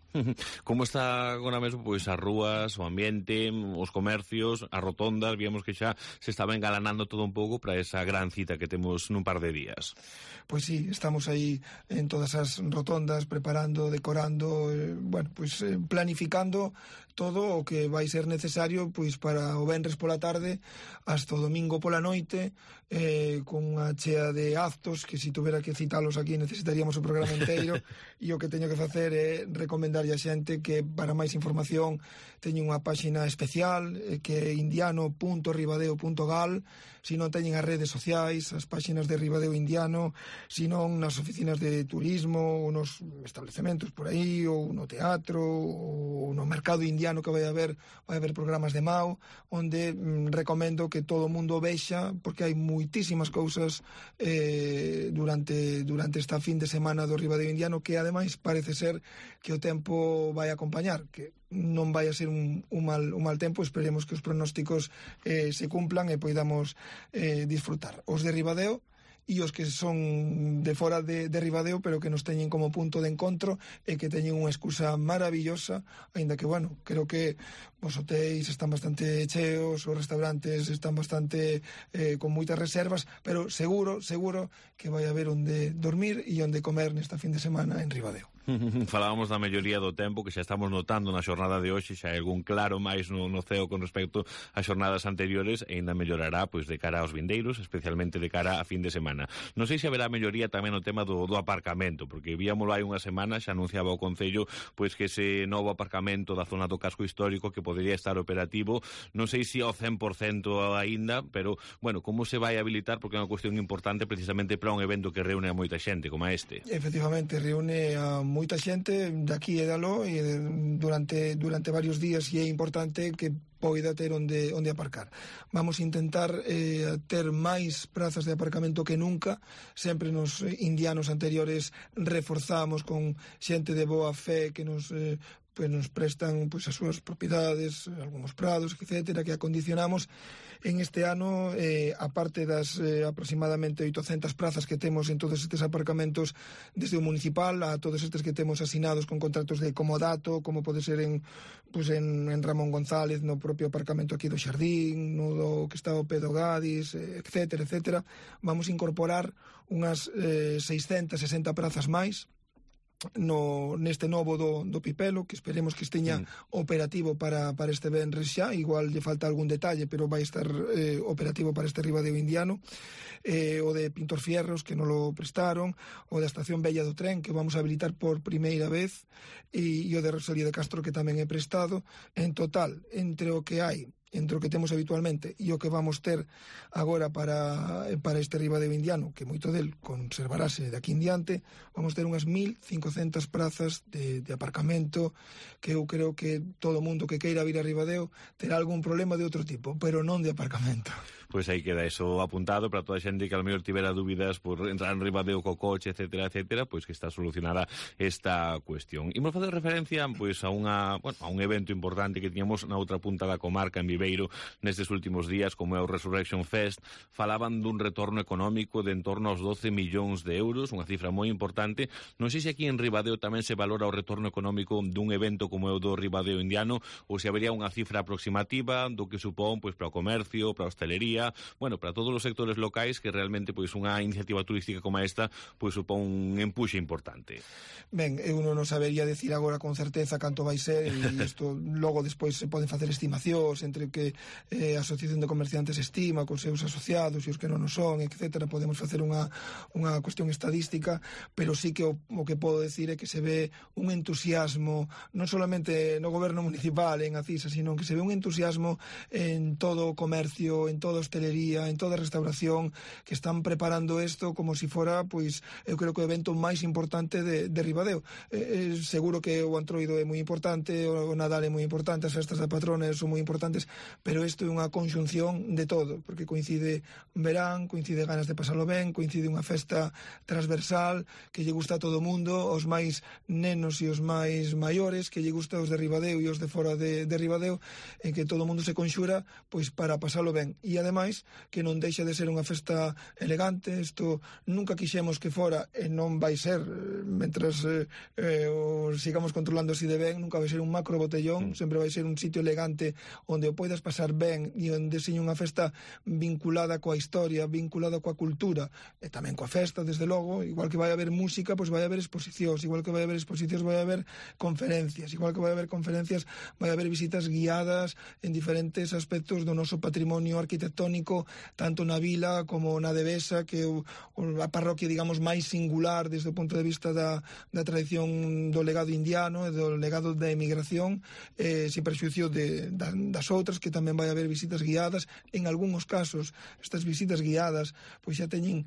C: Como está agora mesmo pois as rúas, o ambiente, os comercios, as rotondas? Víamos que xa se estaba engalanando todo un pouco para esa gran cita que temos nun par de días.
L: Pois sí, estamos aí en todas as rotondas preparando, decorando, eh, bueno, pois eh, planificando todo o que vai ser necesario pois para o venres pola tarde hasta o domingo pola noite, eh, con unha chea de actos que se tuvera que citalos aquí necesitaríamos o programa inteiro, e o que teño que facer é recomendar a xente que para máis información teñen unha páxina especial eh, que é indiano punto ribadeo punto gal. Se non teñen as redes sociais, as páxinas de Ribadeo indiano, se non nas oficinas de turismo ou nos establecementos por aí, ou no teatro ou no mercado indiano que vai haber, vai haber programas de Mao, onde mm, recomendo que todo o mundo vexa, porque hai moitísimas cousas eh, durante, durante esta fin de semana do Ribadeo indiano, que ademais parece ser que o tempo vai acompañar, que non vai a ser un, un, mal, un mal tempo. Esperemos que os pronósticos eh, se cumplan e poidamos eh, disfrutar. Os de Ribadeo e os que son de fora de, de Ribadeo, pero que nos teñen como punto de encontro e que teñen unha excusa maravillosa, aínda que, bueno, creo que os hotéis están bastante cheos, os restaurantes están bastante eh, con moitas reservas, pero seguro, seguro que vai haber onde dormir e onde comer nesta fin de semana en Ribadeo.
C: Falábamos da melloría do tempo que xa estamos notando na xornada de hoxe, xa hai algún claro máis no, no ceo con respecto ás xornadas anteriores, e ainda mellorará pois de cara aos vindeiros, especialmente de cara a fin de semana. Non sei se haberá melloría tamén no tema do, do aparcamento, porque víamolo hai unha semana, xa anunciaba o Concello pois que ese novo aparcamento da zona do casco histórico que podería estar operativo, non sei se ao cen por cento aínda, pero, bueno, como se vai habilitar, porque é unha cuestión importante precisamente para un evento que reúne a moita xente como este.
L: Efectivamente, reúne a moita xente daqui e dalo e durante durante varios días, e é importante que poida ter onde, onde aparcar. Vamos a intentar eh, ter máis prazas de aparcamento que nunca. Sempre nos indianos anteriores reforzamos con xente de boa fe que nos eh, pues nos prestan pues as súas propiedades, algúns prados, etcétera, que acondicionamos en este ano, eh, aparte das eh, aproximadamente oitocentas prazas que temos en todos estes aparcamentos desde o municipal a todos estes que temos asinados con contratos de comodato, como pode ser en, pues en, en Ramón González, no propio aparcamento aquí do Xardín, no do que está o Pedro Gadis, etcétera, etcétera. Vamos a incorporar unhas eh, seiscentas sesenta prazas máis no neste novo do, do Pipelo, que esperemos que esteña mm. operativo para, para este venres xa, igual lle falta algún detalle, pero vai estar eh, operativo para este Ribadeo indiano, eh, o de Pintor Fierros, que non lo prestaron, o da Estación Bella do Tren, que vamos a habilitar por primeira vez, e, e o de Rosalía de Castro, que tamén é prestado. En total, entre o que hai entre o que temos habitualmente e o que vamos ter agora para, para este Ribadeo indiano, que moito del conservarase de aquí en diante, vamos ter unhas mil cincocentas prazas de, de aparcamento, que eu creo que todo o mundo que queira vir a Ribadeo terá algún problema de outro tipo, pero non de aparcamento.
C: Pois aí queda eso apuntado para toda a xente que a lo mellor tivera dúbidas por entrar en Ribadeo co coche, etcétera, etcétera, pois que está solucionada esta cuestión. Imos facer referencia pois a unha, bueno, a un evento importante que tiñamos na outra punta da comarca, en Viveiro, nestes últimos días, como é o Resurrection Fest. Falaban dun retorno económico de en torno aos doce millóns de euros, unha cifra moi importante. Non sei se aquí en Ribadeo tamén se valora o retorno económico dun evento como é o do Ribadeo indiano, ou se habería unha cifra aproximativa do que supón pois para o comercio, para a hostelería, bueno, para todos os sectores locais, que realmente pois unha iniciativa turística como esta pois supón un empuxe importante.
L: Ben, eu non sabería decir agora con certeza canto vai ser, e isto logo despois se poden facer estimacións entre o que eh, a Asociación de Comerciantes estima cos seus asociados e os que non o son, etcétera. Podemos facer unha, unha cuestión estadística, pero sí que o, o que podo decir é que se ve un entusiasmo non solamente no goberno municipal en Acisa, sino que se ve un entusiasmo en todo o comercio, en toda a hostelería, en toda a restauración, que están preparando isto como se si fora, pois, eu creo que o evento máis importante de, de Ribadeo. Eh, eh, seguro que o Antroido é moi importante, o Nadal é moi importante, as festas da patrona son moi importantes, pero isto é unha conxunción de todo, porque coincide verán, coincide ganas de pasalo ben, coincide unha festa transversal que lle gusta a todo o mundo, os máis nenos e os máis maiores, que lle gusta os de Ribadeo e os de fora de, de Ribadeo, en que todo o mundo se conxura pois para pasalo ben. E ademais que non deixa de ser unha festa elegante. Isto nunca quixemos que fora, e non vai ser, mentras eh, eh, o sigamos controlando así de ben, nunca vai ser un macro botellón, mm. sempre vai ser un sitio elegante onde o poidas pasar ben e onde seña unha festa vinculada coa historia, vinculada coa cultura e tamén coa festa, desde logo. Igual que vai haber música, pois vai haber exposicións, igual que vai haber exposicións vai haber conferencias, igual que vai haber conferencias vai haber visitas guiadas en diferentes aspectos do noso patrimonio arquitectónico, tanto na vila como na Devesa, que é a parroquia, digamos, máis singular desde o punto de vista da, da tradición do legado indiano e do legado da emigración, eh, sin perxuicio de, da, das outras, que tamén vai haber visitas guiadas. En algúns casos, estas visitas guiadas pois xa teñen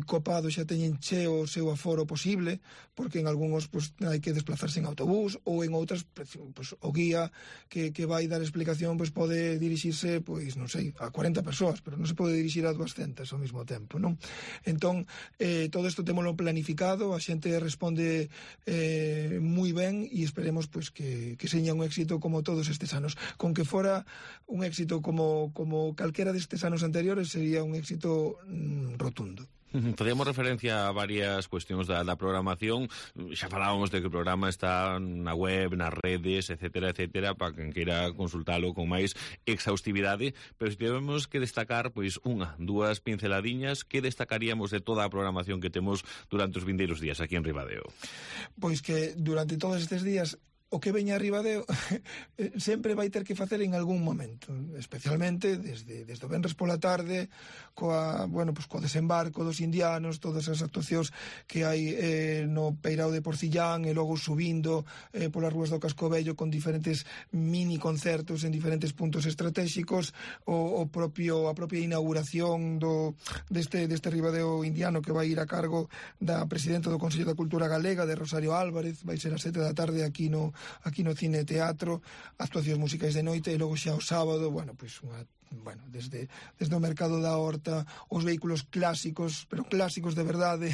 L: copado, xa teñen cheo o seu aforo posible, porque en algúns pois, hai que desplazarse en autobús, ou en outras pois, o guía que, que vai dar explicación pois pode dirixirse, pois non sei, a cuarenta persoas, pero non se pode dirixir a duascentas ao mesmo tempo, non? Entón, eh, todo isto témolo planificado, a xente responde eh, moi ben, e esperemos pois que, que seña un éxito como todos estes anos. Con que fora un éxito como, como calquera destes anos anteriores, sería un éxito mm, rotundo.
C: Facíamos referencia a varias cuestións da, da programación. Xa falábamos de que o programa está na web, nas redes, etcétera, etcétera, para quen queira consultalo con máis exhaustividade, pero se tivemos que destacar pois unha, dúas pinceladiñas, que destacaríamos de toda a programación que temos durante os vindeiros días aquí en Ribadeo?
L: Pois que durante todos estes días o que veña a Ribadeo sempre vai ter que facer en algún momento, especialmente desde, desde o venres pola tarde, coa, bueno, pues, coa desembarco dos indianos, todas as actuacións que hai eh, no Peirao de Porcillán, e logo subindo eh, polas rúas do Casco Vello con diferentes mini concertos en diferentes puntos estratégicos, o, o propio, a propia inauguración do, deste, deste Ribadeo indiano, que vai ir a cargo da presidenta do Consello da Cultura Galega, de Rosario Álvarez. Vai ser a sete da tarde aquí no aquí no cine e teatro, actuacións musicais de noite, e logo xa o sábado, bueno, pois unha bueno, desde, desde o mercado da horta, os vehículos clásicos, pero clásicos de verdade,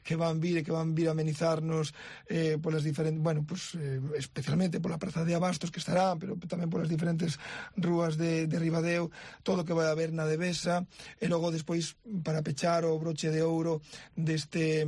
L: que van vir e que van vir a amenizarnos eh, polas diferentes, bueno, pues, eh, especialmente pola Praza de Abastos que estará, pero tamén polas diferentes rúas de, de Ribadeo, todo o que vai haber na Devesa, e logo despois, para pechar o broche de ouro deste...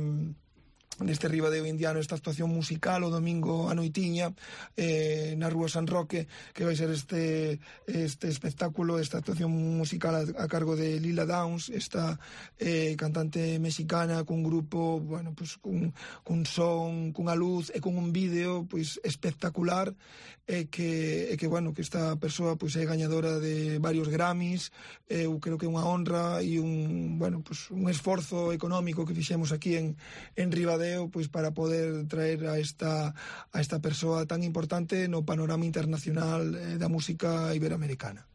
L: deste Ribadeo indiano, esta actuación musical o domingo a noitiña eh, na Rúa San Roque, que vai ser este este espectáculo, esta actuación musical a, a cargo de Lila Downs, esta eh, cantante mexicana cun grupo, bueno, pues cun, cun son, cunha luz e con un vídeo pues espectacular, e que, e que bueno, que esta persoa pues é gañadora de varios Grammys. Eu creo que é unha honra e un, bueno, pues un esforzo económico que fixemos aquí en, en Ribadeo pois para poder traer a esta a esta persoa tan importante no panorama internacional eh, da música iberoamericana.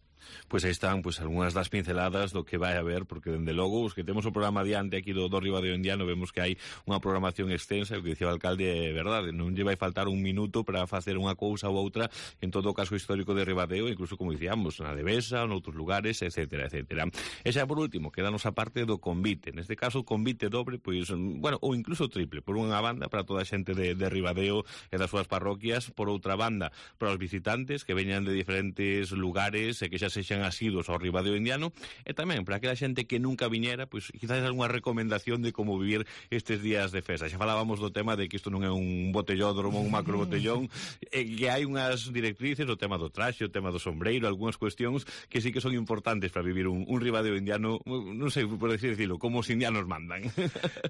C: Pois aí están pois algunhas das pinceladas do que vai haber, porque dende logo os que temos o programa adiante aquí do, do Ribadeo Indiano vemos que hai unha programación extensa, o que dicía o alcalde é verdade, non lle vai faltar un minuto para facer unha cousa ou outra en todo o caso histórico de Ribadeo, incluso como dicíamos, na Devesa, noutros lugares, etcétera, etcétera. E xa por último, quedanos a parte do convite, neste caso convite dobre, pois, bueno, ou incluso triple, por unha banda para toda a xente de, de Ribadeo e das súas parroquias, por outra banda para os visitantes que veñan de diferentes lugares e que xa sexan asidos ao Ribadeo Indiano, e tamén para aquela xente que nunca viñera, pois quizás algunha recomendación de como vivir estes días de festa. Xa falábamos do tema de que isto non é un botellódromo, un macro botellón, e que hai unhas directrices, o tema do traxe, o tema do sombreiro, algunhas cuestións que sí que son importantes para vivir un, un Ribadeo Indiano, non sei, por decir, decirlo, como os indianos mandan.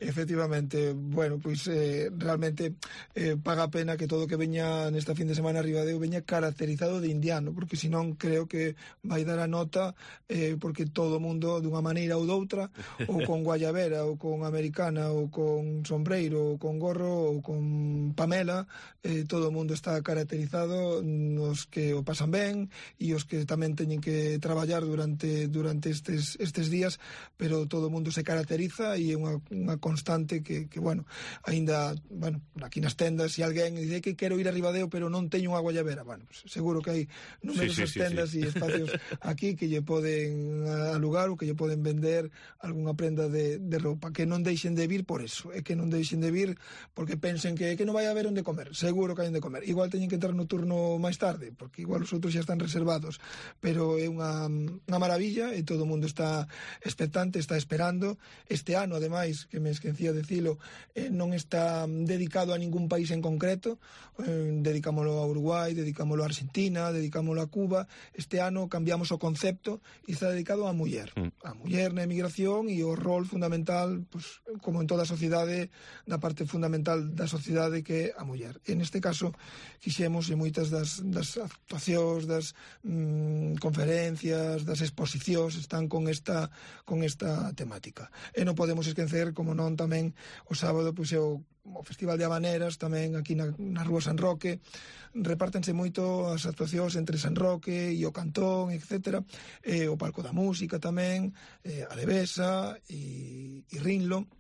L: Efectivamente, bueno, pois eh, realmente eh, paga a pena que todo o que veña nesta fin de semana a Ribadeo veña caracterizado de indiano, porque senón creo que vai dar a nota eh, porque todo o mundo dunha maneira ou doutra, ou con guayabera ou con americana ou con sombreiro ou con gorro ou con pamela, eh, todo o mundo está caracterizado, nos que o pasan ben e os que tamén teñen que traballar durante durante estes, estes días, pero todo o mundo se caracteriza e é unha, unha constante que, que bueno, aínda, bueno, aquí nas tendas, se alguén dice que quero ir a Ribadeo pero non teño unha guayabera, bueno, pues seguro que hai numerosas sí, sí, sí, tendas e sí. espacios aquí que lle poden alugar ou que lle poden vender algunha prenda de, de roupa, que non deixen de vir por eso, é que non deixen de vir porque pensen que, que non vai haber onde comer, seguro que hai onde comer, igual teñen que entrar no turno máis tarde, porque igual os outros xa están reservados, pero é unha, unha maravilla e todo o mundo está expectante, está esperando. Este ano, ademais, que me esquecía de dicilo, eh, non está dedicado a ningún país en concreto, eh, dedicámolo a Uruguai, dedicámolo a Argentina, dedicámolo a Cuba. Este ano cambiamos o concepto e está dedicado á muller, a muller na emigración e o rol fundamental, pues, como en toda a sociedade, na parte fundamental da sociedade que é a muller. E neste caso quixemos, e moitas das, das actuacións, das mm, conferencias, das exposicións están con esta con esta temática. E non podemos esquecer, como non, tamén o sábado pois é o o Festival de Habaneras, tamén aquí na, na Rúa San Roque. Repártense moito as actuacións entre San Roque e o Cantón, etcétera, e o Palco da Música tamén, e a Devesa e, e Rinlo.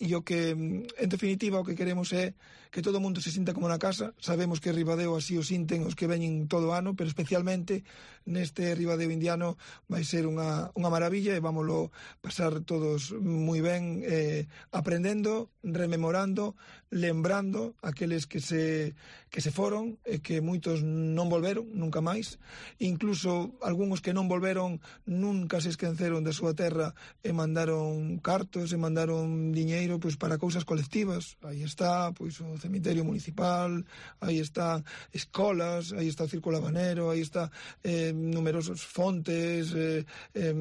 L: E o que, en definitiva, o que queremos é que todo o mundo se sinta como na casa. Sabemos que Ribadeo así o sinten os que veñen todo o ano, pero especialmente neste Ribadeo Indiano vai ser unha, unha maravilla e vámoslo pasar todos moi ben, eh, aprendendo, rememorando, lembrando aqueles que se que se foron e que moitos non volveron nunca máis, incluso algúns que non volveron nunca se esqueceron da súa terra e mandaron cartos e mandaron diñeiro pois para cousas colectivas. Aí está pois o cemiterio municipal, aí está escolas, aí está o Círculo Habanero, aí está eh, numerosos fontes, eh, eh,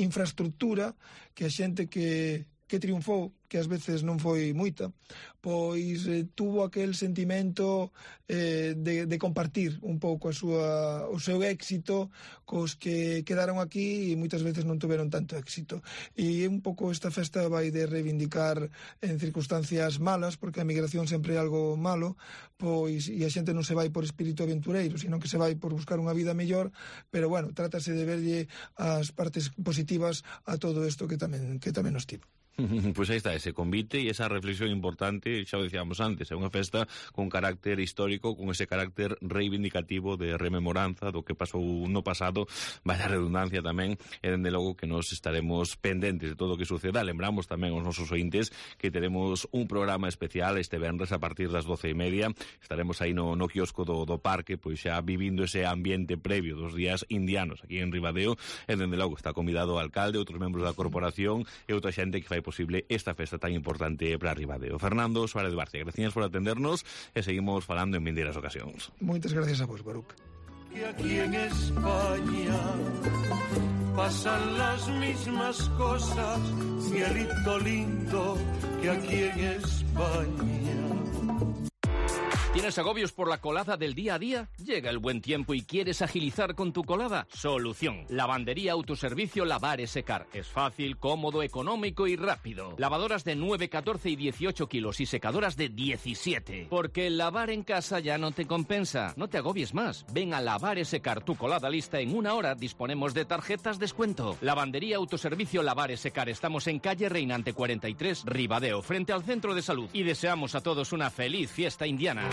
L: infraestructura que a xente que que triunfou, que ás veces non foi moita, pois eh, tuvo aquel sentimento eh, de, de compartir un pouco a súa, o seu éxito cos que quedaron aquí e moitas veces non tuveron tanto éxito. E un pouco esta festa vai de reivindicar en circunstancias malas, porque a migración sempre é algo malo, pois e a xente non se vai por espírito aventureiro, sino que se vai por buscar unha vida mellor, pero bueno, trátase de verlle as partes positivas a todo isto que tamén, que tamén nos tivo.
C: Pois aí está ese convite e esa reflexión importante, xa o dicíamos antes, é unha festa con carácter histórico, con ese carácter reivindicativo de rememoranza do que pasou no pasado, vai a redundancia tamén, e dende logo que nos estaremos pendentes de todo o que suceda. Lembramos tamén aos nosos ointes que teremos un programa especial este venres a partir das doce e media, estaremos aí no, no quiosco do, do parque, pois xa vivindo ese ambiente previo dos días indianos aquí en Ribadeo, e dende logo está convidado o alcalde, outros membros da corporación e outra xente que fai posible esta festa tan importante para Ribadeo. Fernando Suárez Barcia, gracias por atendernos e seguimos falando en vindeiras ocasións.
L: Moitas gracias a vos, Baruch.
M: Que aquí en España pasan las mismas cosas, cielito lindo, que aquí en España.
H: ¿Tienes agobios por la colada del día a día? Llega el buen tiempo y quieres agilizar con tu colada. Solución. Lavandería Autoservicio Lavar y Secar. Es fácil, cómodo, económico y rápido. Lavadoras de nueve, catorce y dieciocho kilos y secadoras de diecisiete. Porque el lavar en casa ya no te compensa. No te agobies más. Ven a Lavar y Secar tu colada lista en una hora. Disponemos de tarjetas descuento. Lavandería Autoservicio Lavar y Secar. Estamos en calle Reinante cuarenta y tres, Ribadeo, frente al Centro de Salud. Y deseamos a todos una feliz fiesta indiana.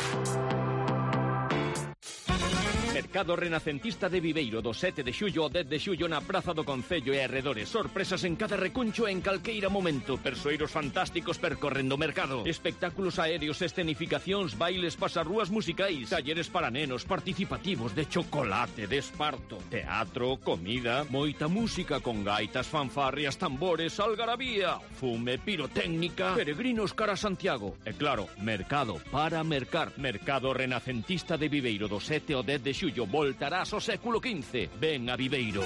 H: Mercado Renacentista de Viveiro, do sete de xullo ao dez de xullo na Praza do Concello e arredores. Sorpresas en cada recuncho e en calqueira momento. Persoeiros fantásticos percorrendo o mercado. Espectáculos aéreos, escenificacións, bailes, pasarrúas musicais, talleres para nenos, participativos de chocolate, de esparto, teatro, comida, moita música con gaitas, fanfarrias, tambores, algarabía, fume, pirotécnica, peregrinos cara a Santiago. E claro, mercado para mercar. Mercado Renacentista de Viveiro, do sete ao dez de xullo. Voltarás ao século quince. Ven a Viveiro.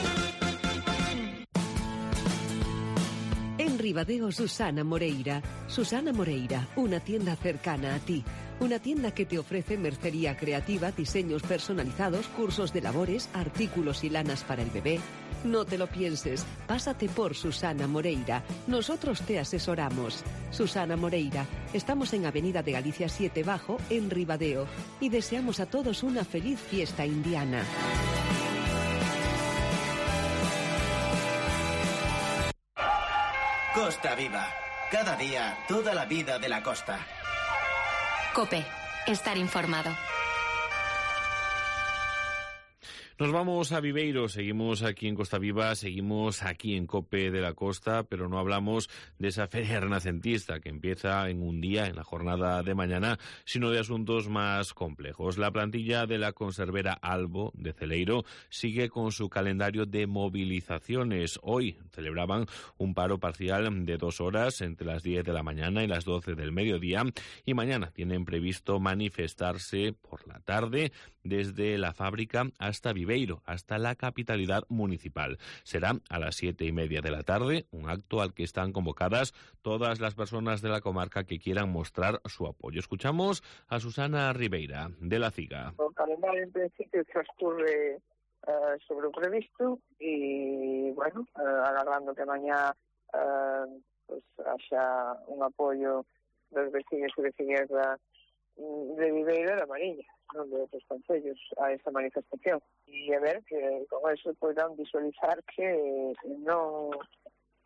N: En Ribadeo, Susana Moreira. Susana Moreira, una tienda cercana a ti. Una tienda que te ofrece mercería creativa, diseños personalizados, cursos de labores, artículos y lanas para el bebé. No te lo pienses, pásate por Susana Moreira. Nosotros te asesoramos. Susana Moreira, estamos en Avenida de Galicia siete Bajo, en Ribadeo, y deseamos a todos una feliz fiesta indiana.
B: Costa Viva. Cada día, toda la vida de la costa.
A: COPE. Estar informado.
C: Nos vamos a Viveiro, seguimos aquí en Costa Viva, seguimos aquí en COPE de la Costa, pero no hablamos de esa feria renacentista que empieza en un día, en la jornada de mañana, sino de asuntos más complejos. La plantilla de la conservera Albo de Celeiro sigue con su calendario de movilizaciones. Hoy celebraban un paro parcial de dos horas entre las diez de la mañana y las doce del mediodía y mañana tienen previsto manifestarse por la tarde desde la fábrica hasta Viveiro, hasta la capitalidad municipal. Será a las siete y media de la tarde, un acto al que están convocadas todas las personas de la comarca que quieran mostrar su apoyo. Escuchamos a Susana Ribeira, de La Ciga.
O: O calendario en principio transcurre uh, sobre o previsto e, bueno, uh, agardando que mañá uh, pues, haxa un apoio dos vecinos e vecinas da, de Viveiro e da Mariña, non de outros concellos, a esa manifestación. E a ver que con eso poderán visualizar que non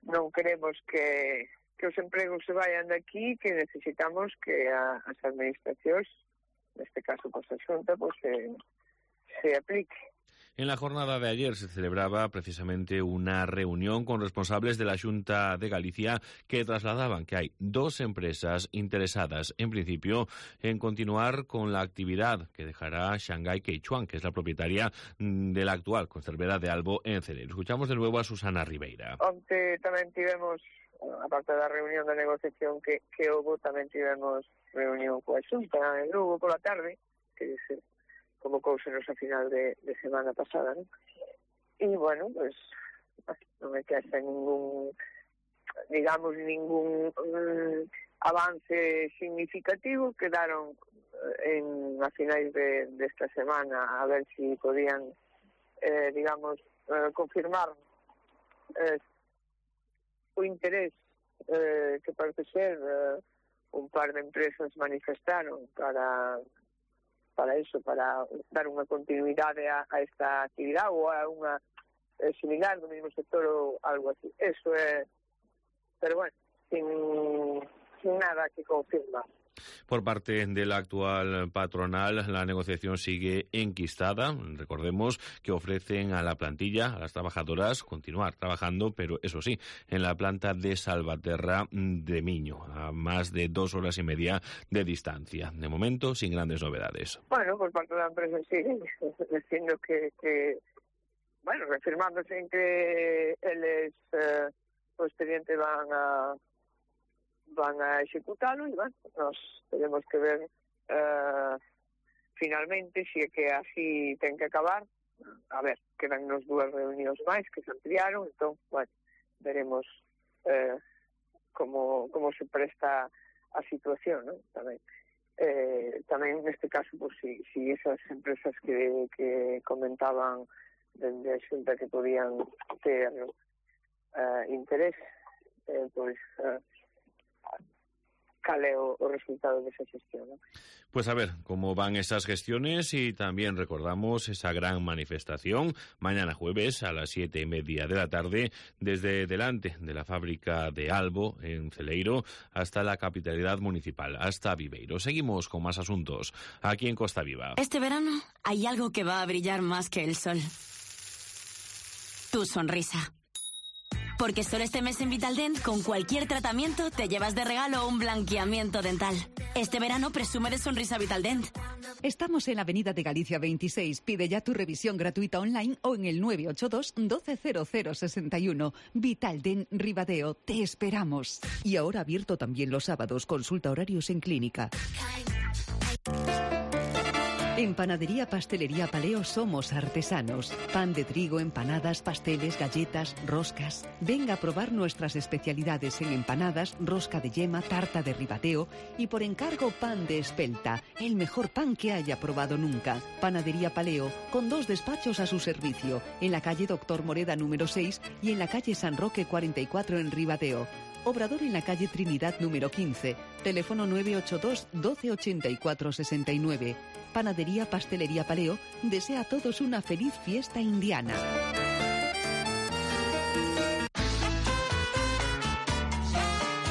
O: non queremos que, que os empregos se vayan de aquí, que necesitamos que a, as administracións, neste caso pues, a Xunta, pues, se, se aplique.
C: En la jornada de ayer se celebraba precisamente una reunión con responsables de la Xunta de Galicia que trasladaban que hay dos empresas interesadas, en principio, en continuar con la actividad que dejará Shanghai Queichuan, que es la propietaria de la actual conservera de Albo en Celeiro. Escuchamos de nuevo a Susana Ribeira.
O: Onte tamén tivemos, aparte da reunión de negociación que, que houve, tamén tivemos reunión coa Xunta en Lugo pola tarde, que se convocousenos a final de, de semana pasada, ¿no? E, bueno, pues, non me queda ningún, digamos, ningún um, avance significativo. Quedaron en, a finais de, de esta semana a ver si podían, eh, digamos, eh, confirmar eh, o interés eh, que parece ser eh, un par de empresas manifestaron para... para eso, para dar unha continuidade a, a esta actividade ou a unha eh, similar do mesmo sector ou algo así. Eso é, pero bueno, sin, sin nada que confirmar.
C: Por parte de la actual patronal, la negociación sigue enquistada. Recordemos que ofrecen a la plantilla, a las trabajadoras, continuar trabajando, pero eso sí, en la planta de Salvaterra de Miño, a más de dos horas y media de distancia. De momento, sin grandes novedades.
O: Bueno, por parte de la empresa sigue diciendo que, que bueno, reafirmándose en que eles eh, o expediente van a van a executalo e, bueno, nos tenemos que ver uh, finalmente se é que así ten que acabar. A ver, quedan nos dúas reunións máis que se ampliaron, entón, bueno, veremos uh, como, como se presta a situación, ¿no? Tamén. Eh, tamén neste caso, pues, si, si esas empresas que, que comentaban dende a xunta que podían ter uh, interés, eh, pois... Uh, cal é o, o resultado desa gestión, ¿no?
C: Pues a ver cómo van esas gestiones y también recordamos esa gran manifestación mañana jueves a las siete y media de la tarde desde delante de la fábrica de Albo en Celeiro hasta la capitalidad municipal, hasta Viveiro. Seguimos con más asuntos aquí en Costa Viva.
P: Este verano hay algo que va a brillar más que el sol. Tu sonrisa. Porque solo este mes en Vitaldent, con cualquier tratamiento, te llevas de regalo un blanqueamiento dental. Este verano presume de sonrisa Vitaldent.
G: Estamos en la Avenida de Galicia veintiséis. Pide ya tu revisión gratuita online o en el nueve ocho dos, doce cero cero sesenta y uno. Vitaldent Ribadeo, te esperamos. Y ahora abierto también los sábados. Consulta horarios en clínica. En Panadería Pastelería Paleo somos artesanos. Pan de trigo, empanadas, pasteles, galletas, roscas. Venga a probar nuestras especialidades en empanadas, rosca de yema, tarta de ribadeo y por encargo pan de espelta, el mejor pan que haya probado nunca. Panadería Paleo, con dos despachos a su servicio, en la calle Doctor Moreda número seis y en la calle San Roque cuarenta y cuatro en Ribadeo. Obrador en la calle Trinidad número quince. Teléfono nueve ocho dos, doce ochenta y cuatro sesenta y nueve. Panadería Pastelería Paleo desea a todos una feliz fiesta indiana.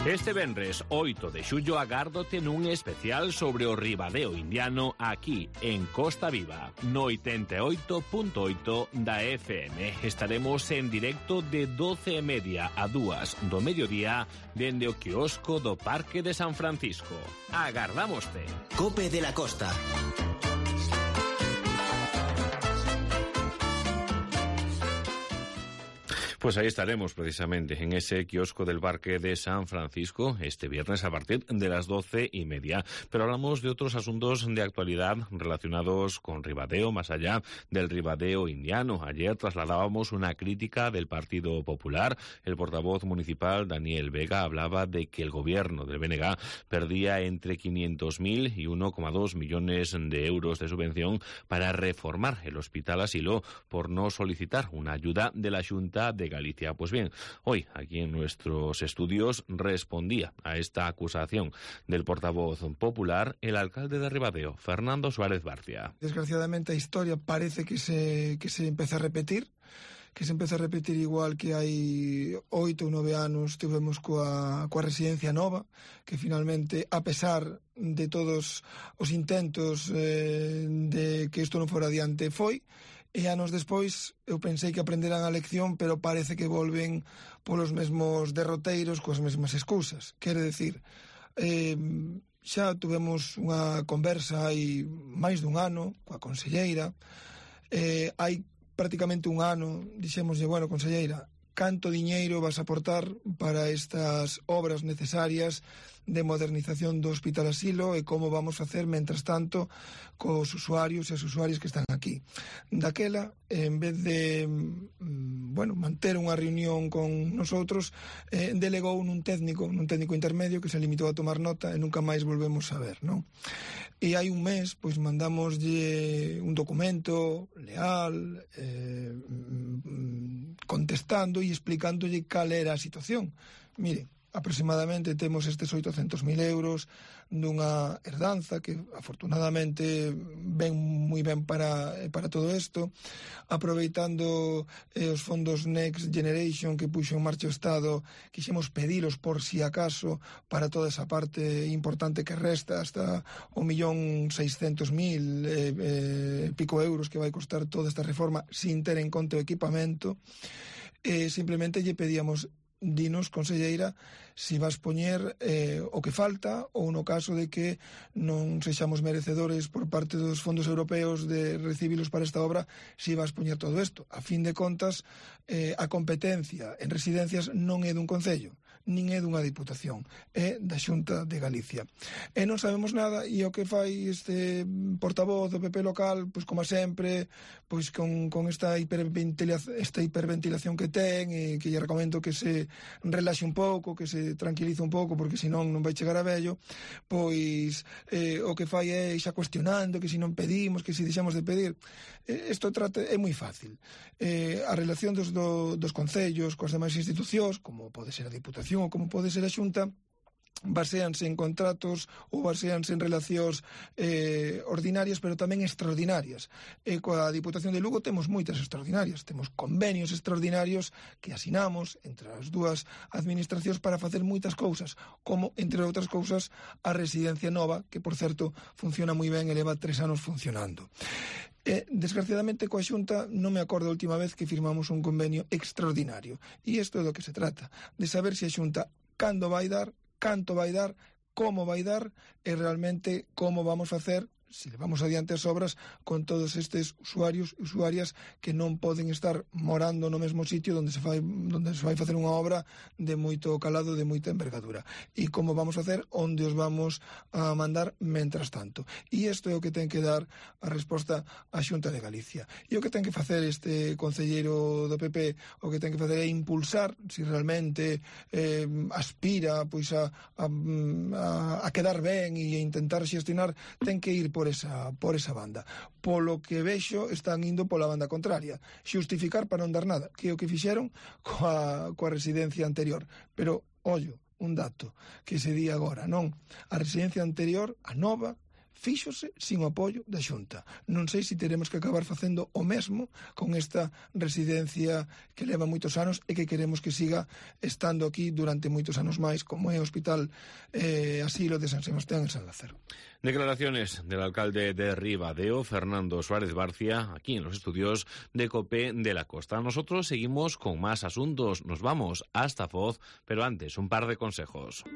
C: Este venres oito de xullo agárdote nun especial sobre o Ribadeo indiano aquí en Costa Viva, no oitenta e oito punto oito da F M. Estaremos en directo de doce e media a dúas do mediodía dende o quiosco do Parque de San Francisco. Agardámoste.
B: Cope de la Costa.
C: Pues ahí estaremos precisamente en ese kiosco del Parque de San Francisco este viernes a partir de las doce y media. Pero hablamos de otros asuntos de actualidad relacionados con Ribadeo, más allá del Ribadeo indiano. Ayer trasladábamos una crítica del Partido Popular. El portavoz municipal Daniel Vega hablaba de que el gobierno del B N G perdía entre quinientos mil y uno coma dos millones de euros de subvención para reformar el Hospital Asilo por no solicitar una ayuda de la Xunta de Galicia. Pues bien, hoy aquí en nuestros estudios respondía a esta acusación del portavoz popular el alcalde de Ribadeo, Fernando Suárez Barcia.
L: Desgraciadamente a historia parece que se, que se empeza a repetir, que se empeza a repetir igual que hai oito ou nove anos tivemos coa, coa residencia nova, que finalmente, a pesar de todos os intentos eh, de que isto non fora adiante, foi. E anos despois eu pensei que aprenderán a lección, pero parece que volven polos mesmos derroteiros coas mesmas excusas. Quere decir, eh, xa tuvemos unha conversa hai máis dun ano coa conselleira, eh, hai prácticamente un ano dixémoslle, bueno, conselleira, canto diñeiro vas a aportar para estas obras necesarias de modernización do Hospital Asilo e como vamos facer, mentras tanto, cos usuarios e as usuarias que están aquí. Daquela, en vez de bueno, manter unha reunión con nosotros, eh, delegou nun técnico, nun técnico intermedio que se limitou a tomar nota e nunca máis volvemos a ver, non? E hai un mes, pois mandamoslle un documento leal, eh, contestando e explicándolle cal era a situación. Mire, aproximadamente temos estes oitocentos mil euros dunha herdanza que afortunadamente ven moi ben para, para todo isto, aproveitando eh, os fondos Next Generation que puxo en marcha o Estado, quixemos pedilos por si acaso para toda esa parte importante que resta, hasta o millón seiscentos mil eh, eh, pico euros que vai costar toda esta reforma sin ter en conta o equipamento. Eh, simplemente lle pedíamos: dinos, conselleira, si vas poñer eh, o que falta, ou no caso de que non sexamos merecedores por parte dos fondos europeos de recibilos para esta obra, si vas poñer todo isto. A fin de contas, eh, a competencia en residencias non é dun concello, nin é dunha diputación, é da Xunta de Galicia. E non sabemos nada, e o que fai este portavoz do P P local, pois como sempre, pois con, con esta, hiperventilación, esta hiperventilación que ten, e que lle recomendo que se relaxe un pouco, que se tranquilice un pouco, porque senón non vai chegar a vello, pois eh, o que fai é xa cuestionando que se non pedimos, que se deixamos de pedir. Eh, isto trata, é moi fácil. Eh, a relación dos, do, dos concellos coas demais institucións, como pode ser a Diputación ou como pode ser a Xunta, baséanse en contratos ou baséanse en relacións eh, ordinarias, pero tamén extraordinarias. E coa Diputación de Lugo temos moitas extraordinarias, temos convenios extraordinarios que asinamos entre as dúas administracións para facer moitas cousas, como, entre outras cousas, a residencia nova, que, por certo, funciona moi ben e leva tres anos funcionando. Eh, desgraciadamente, coa Xunta non me acordo a última vez que firmamos un convenio extraordinario. E isto é do que se trata, de saber se a Xunta cando vai dar, canto vai dar, como vai dar e realmente como vamos facer, se levamos adiante as obras, con todos estes usuarios e usuarias que non poden estar morando no mesmo sitio onde se fai, onde se vai facer unha obra de moito calado, de moita envergadura. E como vamos facer, onde os vamos a mandar mentras tanto. E isto é o que ten que dar a resposta á Xunta de Galicia. E o que ten que facer este concelleiro do P P, o que ten que facer é impulsar, se realmente eh, aspira pois a, a, a, a quedar ben e a intentar xestionar, ten que ir por Por esa, por esa banda. Polo que vexo, están indo pola banda contraria. Xustificar para non dar nada, que é o que fixeron coa, coa residencia anterior. Pero, ollo, un dato que se di agora, non? A residencia anterior, a nova, fíxose sin o apoio da Xunta. Non sei se teremos que acabar facendo o mesmo con esta residencia que leva moitos anos e que queremos que siga estando aquí durante moitos anos máis, como é o Hospital eh, Asilo de San Sebastián en San Lázaro.
C: Declaraciones del alcalde de Ribadeo, Fernando Suárez Barcia, aquí en los estudios de COPE de la Costa. Nosotros seguimos con más asuntos. Nos vamos hasta Foz, pero antes un par de consejos.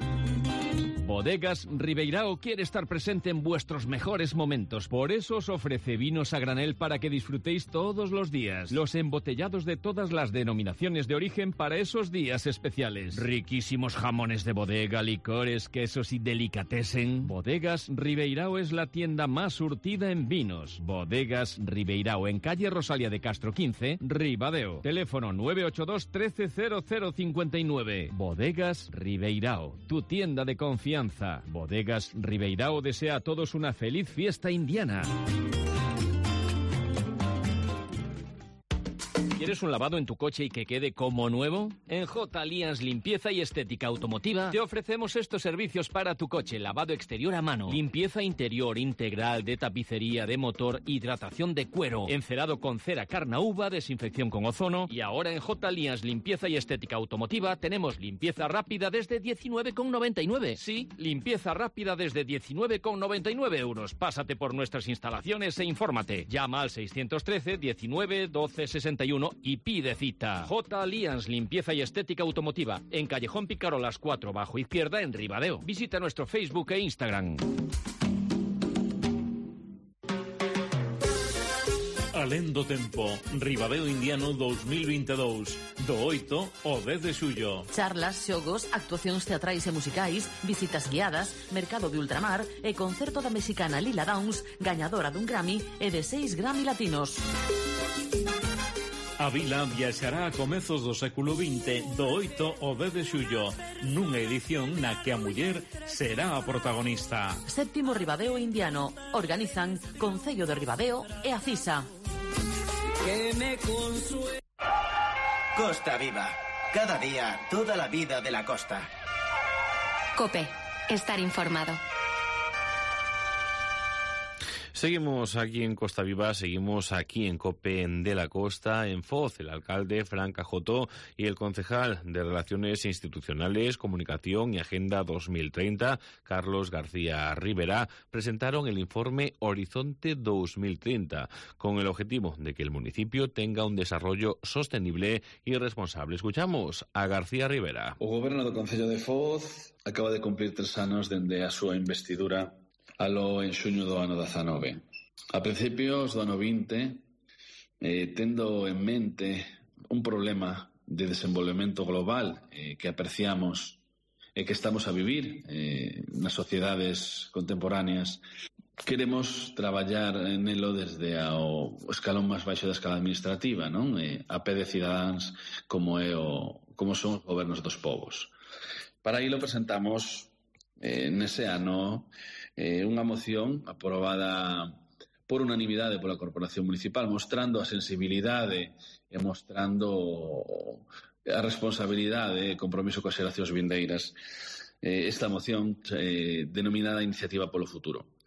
H: Bodegas Ribeirao quiere estar presente en vuestros mejores momentos. Por eso os ofrece vinos a granel para que disfrutéis todos los días. Los embotellados de todas las denominaciones de origen para esos días especiales. Riquísimos jamones de bodega, licores, quesos y delicatessen. Bodegas Ribeirao es la tienda más surtida en vinos. Bodegas Ribeirao, en calle Rosalía de Castro quince, Ribadeo. Teléfono nueve ocho dos, trece, cero cero cincuenta y nueve. Bodegas Ribeirao, tu tienda de confianza. Bodegas Ribeirao desea a todos una feliz fiesta indiana. ¿Quieres un lavado en tu coche y que quede como nuevo? En J. Alliance Limpieza y Estética Automotiva te ofrecemos estos servicios para tu coche: lavado exterior a mano, limpieza interior integral de tapicería, de motor, hidratación de cuero, encerado con cera carnauba, desinfección con ozono. Y ahora en J. Alliance Limpieza y Estética Automotiva tenemos limpieza rápida desde diecinueve con noventa y nueve. Sí, limpieza rápida desde diecinueve con noventa y nueve euros. Pásate por nuestras instalaciones e infórmate. Llama al seiscientos trece, diecinueve, doce, sesenta y uno y pide cita. J. Alliance Limpieza y Estética Automotiva, en Callejón Picarolas cuatro, bajo izquierda, en Ribadeo. Visita nuestro Facebook e Instagram.
Q: Alén do tempo, Ribadeo Indiano dos mil veintidós, do oito ao dez de xullo.
R: Charlas, xogos, actuacións teatrais e musicais, visitas guiadas, mercado de ultramar e concerto da mexicana Lila Downs, gañadora dun Grammy e de seis Grammy latinos.
Q: A vila viaxará a comezos do século vinte, do oito ao dez de xullo, nunha edición na que a muller será a protagonista.
R: Séptimo Ribadeo Indiano. Organizan Concello de Ribadeo e a CISA.
B: Que me consue... Costa Viva. Cada día, toda la vida de la costa.
A: COPE. Estar informado.
C: Seguimos aquí en Costa Viva, seguimos aquí en COPE de la Costa, en Foz. El alcalde Fran Cajotó y el concejal de Relaciones Institucionales, Comunicación y Agenda dos mil treinta, Carlos García Rivera, presentaron el informe Horizonte dos mil treinta, con el objetivo de que el municipio tenga un desarrollo sostenible y responsable. Escuchamos a García Rivera.
S: O Goberno do Concello de Foz acaba de cumplir tres anos dende a súa investidura alo en xuño do ano dezanove. A principios do ano vinte, eh, tendo en mente un problema de desenvolvemento global eh, que apreciamos e eh, que estamos a vivir eh, nas sociedades contemporáneas, queremos traballar nelo desde ao escalón máis baixo da escala administrativa, non? Eh, a pé de cidadáns como é o como son os gobernos dos povos. Para ilo presentamos eh, nese ano Eh, unha moción aprobada por unanimidade pola Corporación Municipal, mostrando a sensibilidade e mostrando a responsabilidade e compromiso coas xeracións vindeiras. Eh, esta moción eh, denominada Iniciativa polo Futuro.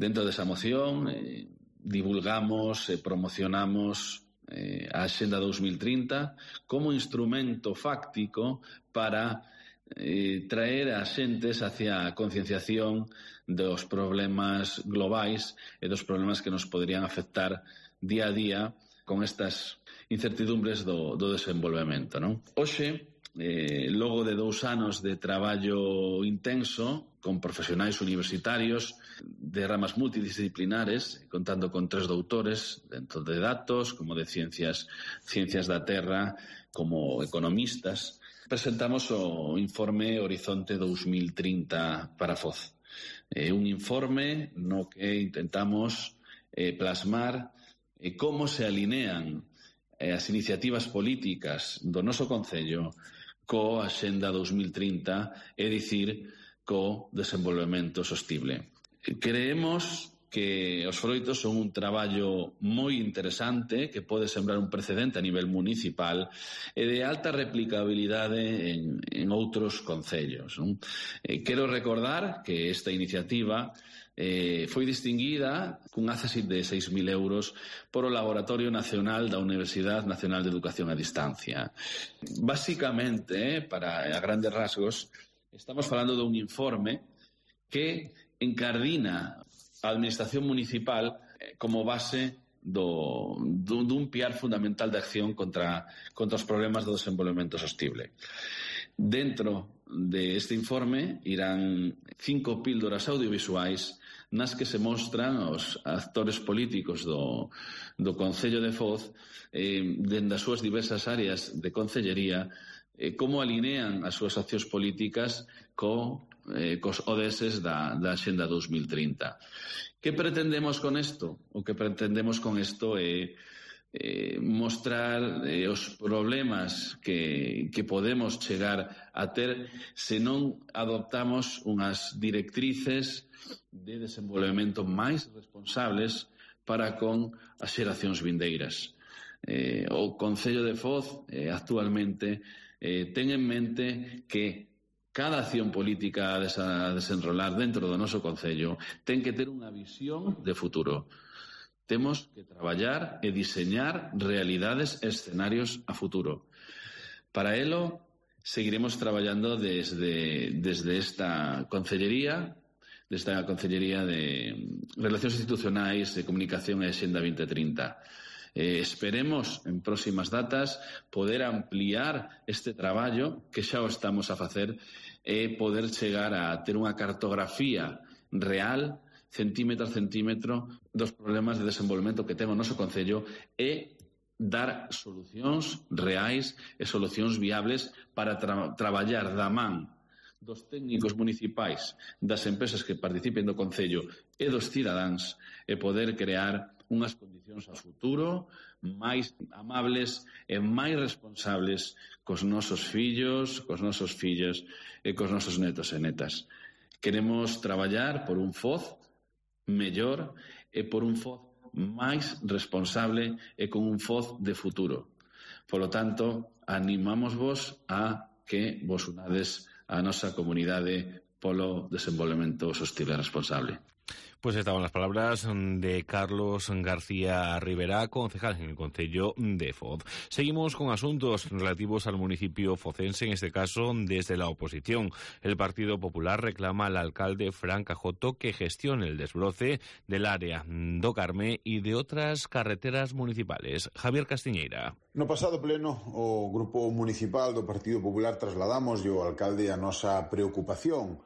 S: Dentro desa moción eh, divulgamos e promocionamos eh, a Axenda dos mil trinta como instrumento fáctico para eh, traer a xentes hacia a concienciación dos problemas globais e dos problemas que nos poderían afectar día a día con estas incertidumbres do, do desenvolvemento, non? Hoxe, eh, logo de dous anos de traballo intenso con profesionais universitarios de ramas multidisciplinares, contando con tres doutores dentro de datos, como de ciencias, ciencias da terra, como economistas, presentamos o informe Horizonte dos mil trinta para Foz. Eh, un informe no que intentamos eh, plasmar eh, como se alinean eh, as iniciativas políticas do noso Concello co Axenda dos mil trinta, é dicir, co desenvolvemento sostible. Creemos que os froitos son un traballo moi interesante que pode sembrar un precedente a nivel municipal e de alta replicabilidade en, en outros concellos, non? Eh, quero recordar que esta iniciativa eh, foi distinguida cun accessit de seis mil euros por o Laboratorio Nacional da Universidade Nacional de Educación a Distancia. Básicamente, eh, para a grandes rasgos, estamos falando dun informe que encardina a Administración Municipal como base do, do, dun piar fundamental de acción contra, contra os problemas do desenvolvemento sostible. Dentro de este informe irán cinco píldoras audiovisuais nas que se mostran os actores políticos do, do Concello de Foz eh, dende as súas diversas áreas de concellería eh, como alinean as súas accións políticas co Eh, cos O D S da, da Axenda dos mil trinta. Que pretendemos con isto? O que pretendemos con isto é eh, mostrar eh, os problemas que, que podemos chegar a ter se non adoptamos unhas directrices de desenvolvemento máis responsables para con as xeracións vindeiras. Eh, o Concello de Foz eh, actualmente eh, ten en mente que cada acción política a desenrolar dentro do noso Concello ten que ter unha visión de futuro. Temos que traballar e diseñar realidades e escenarios a futuro. Para elo, seguiremos traballando desde, desde esta Concellería, desta Concellería de Relacións Institucionais, de Comunicación e Axenda vinte trinta. Eh, esperemos en próximas datas poder ampliar este traballo que xa o estamos a facer e poder chegar a ter unha cartografía real, centímetro a centímetro, dos problemas de desenvolvemento que ten o noso Concello e dar solucións reais e solucións viables para tra traballar da man dos técnicos municipais, das empresas que participen do Concello e dos cidadáns e poder crear unhas condicións a futuro máis amables e máis responsables cos nosos fillos, cos nosos fillos e cos nosos netos e netas. Queremos traballar por un Foz mellor e por un Foz máis responsable e con un Foz de futuro. Por lo tanto, animámosvos a que vos unades a nosa comunidade polo desenvolvemento sostible e responsable.
C: Pues estaban las palabras de Carlos García Rivera, concejal en el Concello de Foz. Seguimos con asuntos relativos al municipio focense, en este caso desde la oposición. El Partido Popular reclama al alcalde Fran Cajoto que gestione el desbroce del área do Carme y de otras carreteras municipales. Javier Castiñeira.
T: No pasado pleno, o Grupo Municipal do Partido Popular trasladamos ao alcalde a nosa preocupación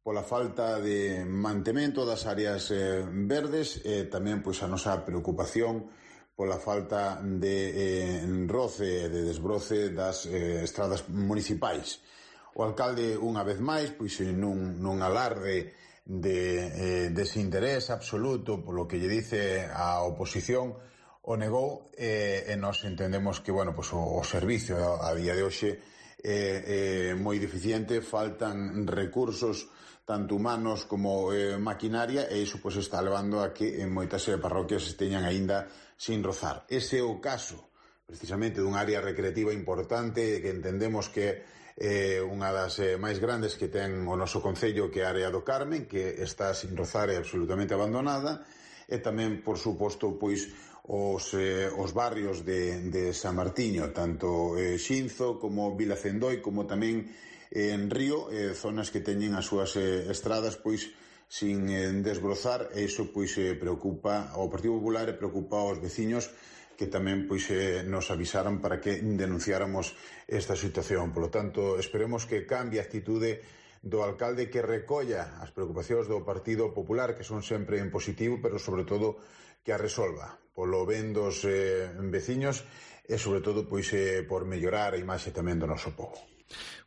T: pola falta de mantemento das áreas eh, verdes e tamén pois a nosa preocupación pola falta de eh, roce, de desbroce das eh, estradas municipais. O alcalde, unha vez máis, pois nun, nun alarde de eh, desinterés absoluto polo que lle dice a oposición, o negou eh, e nós entendemos que, bueno, pois o, o servicio a, a día de hoxe é eh, eh, moi deficiente, faltan recursos tanto humanos como eh, maquinaria, e iso pois está levando a que en moitas eh, parroquias esteñan aínda sin rozar. Ese é o caso, precisamente, dun área recreativa importante que entendemos que é eh, unha das eh, máis grandes que ten o noso concello, que é a área do Carmen, que está sin rozar e absolutamente abandonada, e tamén, por suposto, pois os, eh, os barrios de, de San Martiño, tanto eh, Xinzo como Vila Cendoi, como tamén en Río, eh, zonas que teñen as súas eh, estradas pois sin eh, desbrozar, e iso pois eh, preocupa ao Partido Popular e preocupa aos veciños, que tamén pois eh, nos avisaron para que denunciáramos esta situación. Por lo tanto, esperemos que cambie a actitude do alcalde, que recolla as preocupacións do Partido Popular, que son sempre en positivo, pero sobre todo que a resolva polo ben dos eh, veciños e sobre todo pois eh, por mellorar a imaxe tamén do noso pobo.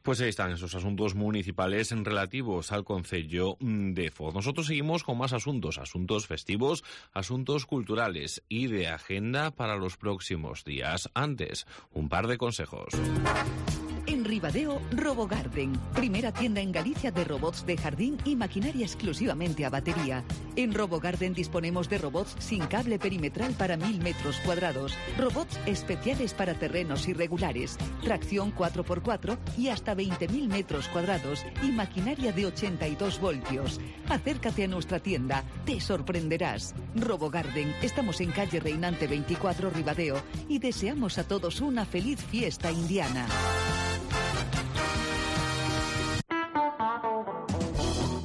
C: Pues ahí están esos asuntos municipales relativos al Concello de Foz. Nosotros seguimos con más asuntos, asuntos festivos, asuntos culturales y de agenda para los próximos días. Antes, un par de consejos.
G: En Ribadeo, RoboGarden, primera tienda en Galicia de robots de jardín y maquinaria exclusivamente a batería. En RoboGarden disponemos de robots sin cable perimetral para mil metros cuadrados, robots especiales para terrenos irregulares, tracción cuatro por cuatro y hasta veinte mil metros cuadrados y maquinaria de ochenta y dos voltios. Acércate a nuestra tienda, te sorprenderás. RoboGarden, estamos en calle Reinante veinticuatro, Ribadeo, y deseamos a todos una feliz fiesta indiana.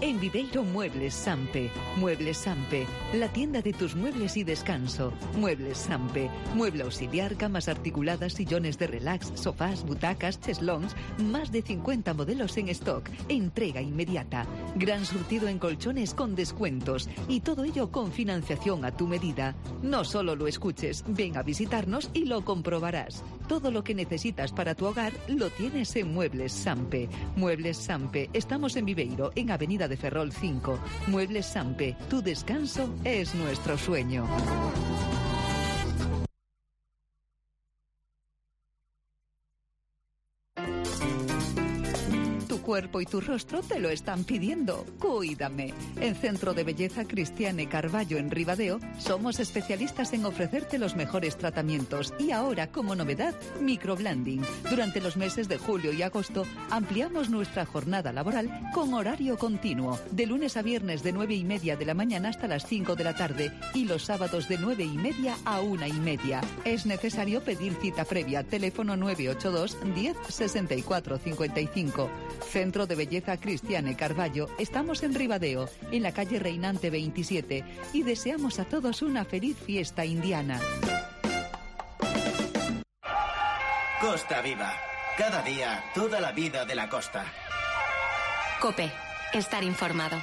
G: En Viveiro, Muebles Sampe. Muebles Sampe, la tienda de tus muebles y descanso. Muebles Sampe, mueble auxiliar, camas articuladas, sillones de relax, sofás, butacas, cheslons, más de cincuenta modelos en stock. Entrega inmediata. Gran surtido en colchones con descuentos y todo ello con financiación a tu medida. No solo lo escuches, ven a visitarnos y lo comprobarás. Todo lo que necesitas para tu hogar lo tienes en Muebles Sampe. Muebles Sampe, estamos en Viveiro, en Avenida de Ferrol cinco. Muebles Sampe, tu descanso es nuestro sueño. Tu cuerpo y tu rostro te lo están pidiendo. Cuídame. En Centro de Belleza Cristiane Carballo en Ribadeo somos especialistas en ofrecerte los mejores tratamientos y ahora, como novedad, microblending. Durante los meses de julio y agosto ampliamos nuestra jornada laboral con horario continuo, de lunes a viernes de nueve y media de la mañana hasta las cinco de la tarde y los sábados de nueve y media a una y media. Es necesario pedir cita previa. Teléfono nueve ocho dos, diez, sesenta y cuatro, cincuenta y cinco. Centro de Belleza Cristiane Carballo. Estamos en Ribadeo, en la calle Reinante veintisiete, y deseamos a todos una feliz fiesta indiana.
B: Costa Viva. Cada día, toda la vida de la costa.
A: COPE. Estar informado.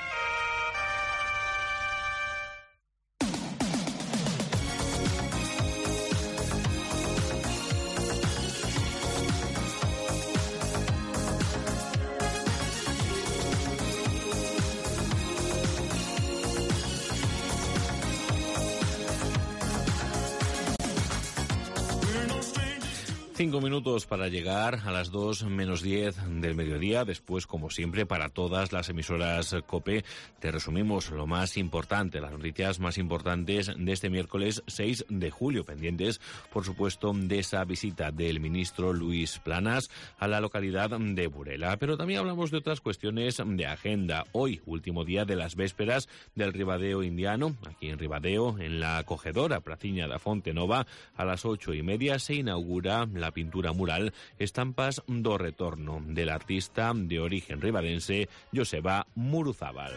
C: Cinco minutos para llegar a las dos menos diez del mediodía. Después, como siempre, para todas las emisoras COPE, te resumimos lo más importante, las noticias más importantes de este miércoles seis de julio, pendientes, por supuesto, de esa visita del ministro Luis Planas a la localidad de Burela. Pero también hablamos de otras cuestiones de agenda. Hoy, último día de las vésperas del Ribadeo indiano, aquí en Ribadeo, en la acogedora Praciña da Fonte Nova, a las ocho y media se inaugura la pintura mural Estampas do Retorno del artista de origen ribadense Joseba Muruzábal.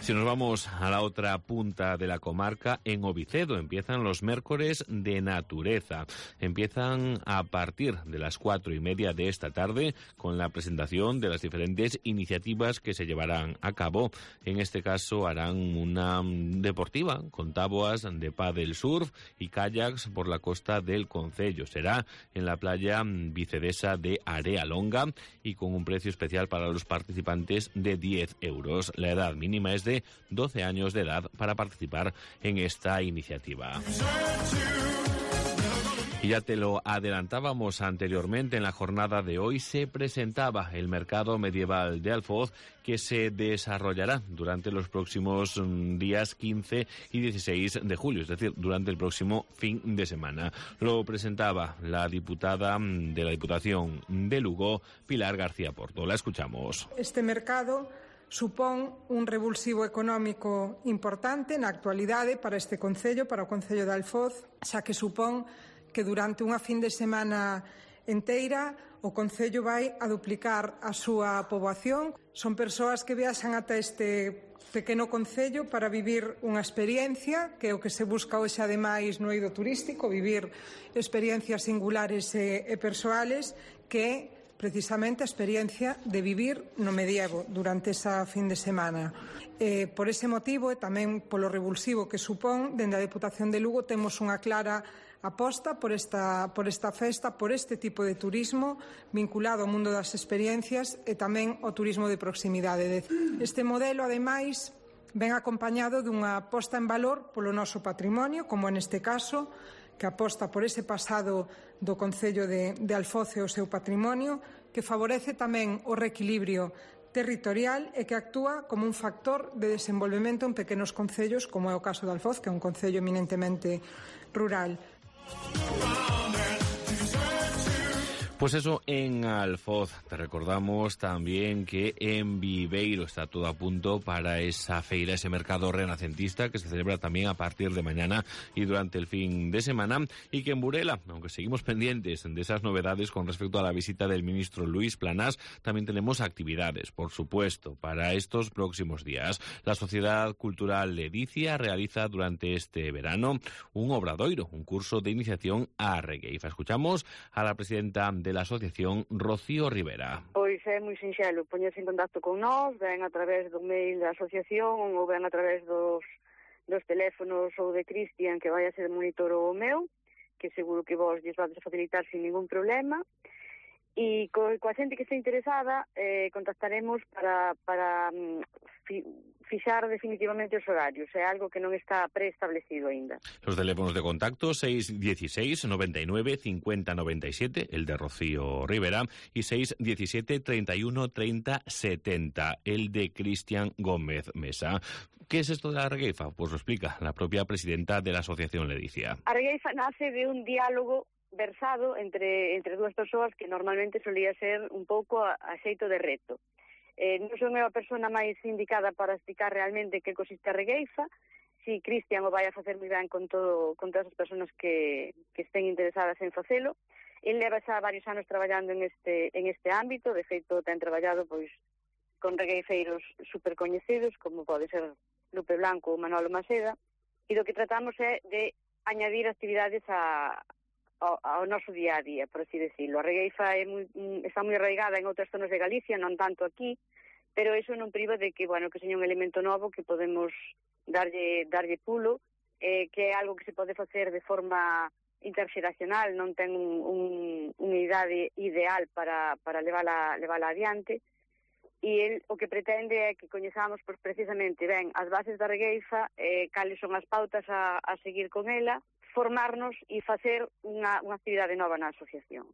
C: Si nos vamos a la otra punta de la comarca, en Ovicedo empiezan los miércoles de natureza. Empiezan a partir de las cuatro y media de esta tarde con la presentación de las diferentes iniciativas que se llevarán a cabo. En este caso harán una deportiva con taboas de pádel surf y kayaks por la costa del concello. Será en la playa vicedesa de Area Longa y con un precio especial para los participantes de diez euros. La edad mínima es de doce años de edad para participar en esta iniciativa. Y ya te lo adelantábamos anteriormente, en la jornada de hoy se presentaba el mercado medieval de Alfoz, que se desarrollará durante los próximos días quince y dieciséis de julio, es decir, durante el próximo fin de semana. Lo presentaba la diputada de la Diputación de Lugo, Pilar García Porto. La escuchamos.
U: Este mercado supón un revulsivo económico importante na actualidade para este concello, para o concello de Alfoz, xa que supón que durante unha fin de semana enteira o concello vai a duplicar a súa poboación. Son persoas que viaxan ata este pequeno concello para vivir unha experiencia, que é o que se busca hoxe ademais no eido turístico, vivir experiencias singulares e, e persoales, que é precisamente a experiencia de vivir no medievo durante esa fin de semana. Eh, por ese motivo e tamén polo revulsivo que supón, dende a Deputación de Lugo temos unha clara aposta por esta, por esta festa, por este tipo de turismo vinculado ao mundo das experiencias e tamén ao turismo de proximidade. Este modelo, ademais, ven acompañado dunha posta en valor polo noso patrimonio, como neste caso, que aposta por ese pasado do Concello de, de Alfoz e o seu patrimonio, que favorece tamén o reequilibrio territorial e que actúa como un factor de desenvolvemento en pequenos concellos, como é o caso de Alfoz, que é un concello eminentemente rural.
C: Pues eso en Alfoz. Te recordamos también que en Viveiro está todo a punto para esa feira, ese mercado renacentista que se celebra también a partir de mañana y durante el fin de semana, y que en Burela, aunque seguimos pendientes de esas novedades con respecto a la visita del ministro Luis Planas, también tenemos actividades, por supuesto, para estos próximos días. La Sociedad Cultural Ledicia realiza durante este verano un obradoiro, un curso de iniciación a Regueifa. Escuchamos a la presidenta de la asociación, Rocío Rivera.
V: Pois é moi sinxelo, poñerse en contacto con nós, ven a través do mail da asociación ou ven a través dos, dos teléfonos ou de Cristian, que vai a ser monitor o meu, que seguro que vos lles vades a facilitar sin ningún problema. E co, coa xente que está interesada eh, contactaremos para, para fi, fixar definitivamente os horarios. É algo que non está preestablecido aínda.
C: Los teléfonos de contacto seis dieciséis, noventa y nueve, cincuenta, noventa y siete, el de Rocío Rivera, y seis diecisiete, treinta y uno, treinta, setenta, el de Cristian Gómez Mesa. ¿Qué es esto de la Regueifa? Pues lo explica la propia presidenta de la asociación Ledicia.
V: A Regueifa nace de un diálogo versado entre entre dúas persoas que normalmente solía ser un pouco a, a xeito de reto. Eh, non son eu a persona máis indicada para explicar realmente que consiste a Regueifa. Si Cristian o vai a facer moi ben con todo con todas as persoas que, que estén interesadas en facelo. El leva xa varios anos traballando en este en este ámbito, de feito ten traballado pois con regueifeiros supercoñecidos como pode ser Lupe Blanco ou Manolo Maceda, e do que tratamos é de añadir actividades a Ao, ao noso día a día, por así decirlo. A Regueifa é moi, está moi arraigada en outras zonas de Galicia, non tanto aquí, pero eso non priva de que, bueno, que seña un elemento novo que podemos darlle, darlle pulo, eh, que é algo que se pode facer de forma interxeracional, non ten un, un, unha idade ideal para, para levala, levala adiante, e el o que pretende é que coñezamos pues, precisamente ben as bases da Regueifa, eh, cales son as pautas a, a seguir con ela, formarnos e facer unha, unha actividade nova na asociación.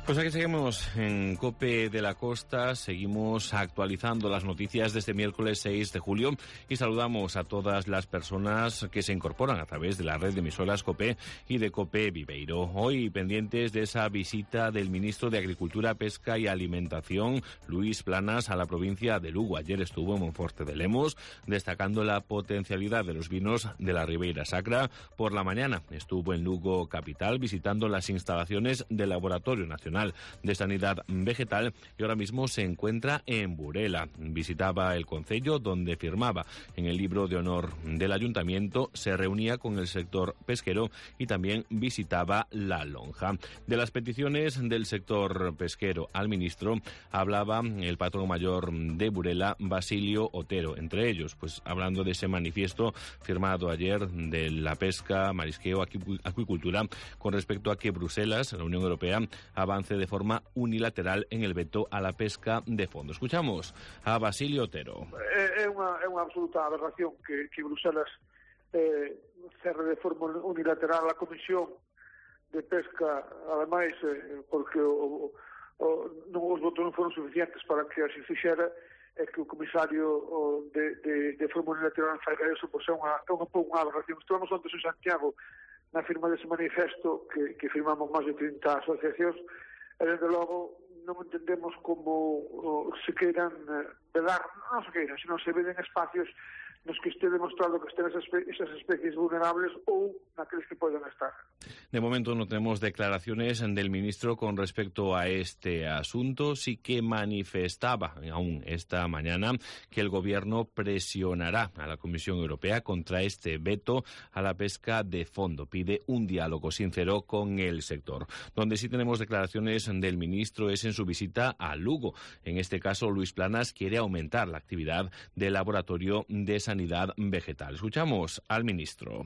C: Pues aquí seguimos en COPE de la Costa, seguimos actualizando las noticias de este miércoles seis de julio y saludamos a todas las personas que se incorporan a través de la red de emisoras COPE y de COPE Viveiro. Hoy pendientes de esa visita del ministro de Agricultura, Pesca y Alimentación, Luis Planas, a la provincia de Lugo. Ayer estuvo en Monforte de Lemos, destacando la potencialidad de los vinos de la Ribeira Sacra. Por la mañana estuvo en Lugo capital visitando las instalaciones del Laboratorio Nacional de Sanidad Vegetal y ahora mismo se encuentra en Burela. Visitaba el concello donde firmaba en el libro de honor del ayuntamiento, se reunía con el sector pesquero y también visitaba La Lonja. De las peticiones del sector pesquero al ministro hablaba el patrón mayor de Burela, Basilio Otero. Entre ellos, pues hablando de ese manifiesto firmado ayer de la pesca, marisqueo, acuicultura, con respecto a que Bruselas, la Unión Europea, avance de forma unilateral en el veto a la pesca de fondo. Escuchamos a Basilio Otero.
D: É unha, é unha absoluta aberración que, que Bruselas eh, cerre de forma unilateral a Comisión de Pesca, ademais, eh, porque o, o, non, os votos non foron suficientes para que así fixera, é que o comisario o, de, de, de forma unilateral faiga eso, pois é unha, é unha, unha aberración. Estuvamos antes en Santiago na firma dese manifesto que, que firmamos máis de trinta asociacións. E, desde logo, non entendemos como o, se queiran eh, vedar, non se queiran, senón se veden espacios nos que este demostrado que estén esas, esas especies vulnerables ou naqueles que poden estar.
C: De momento no tenemos declaraciones del ministro con respecto a este asunto. Sí que manifestaba aún esta mañana que el gobierno presionará a la Comisión Europea contra este veto a la pesca de fondo. Pide un diálogo sincero con el sector. Donde sí tenemos declaraciones del ministro es en su visita a Lugo. En este caso, Luis Planas quiere aumentar la actividad del laboratorio de Sanidad Vegetal. Escuchamos al ministro.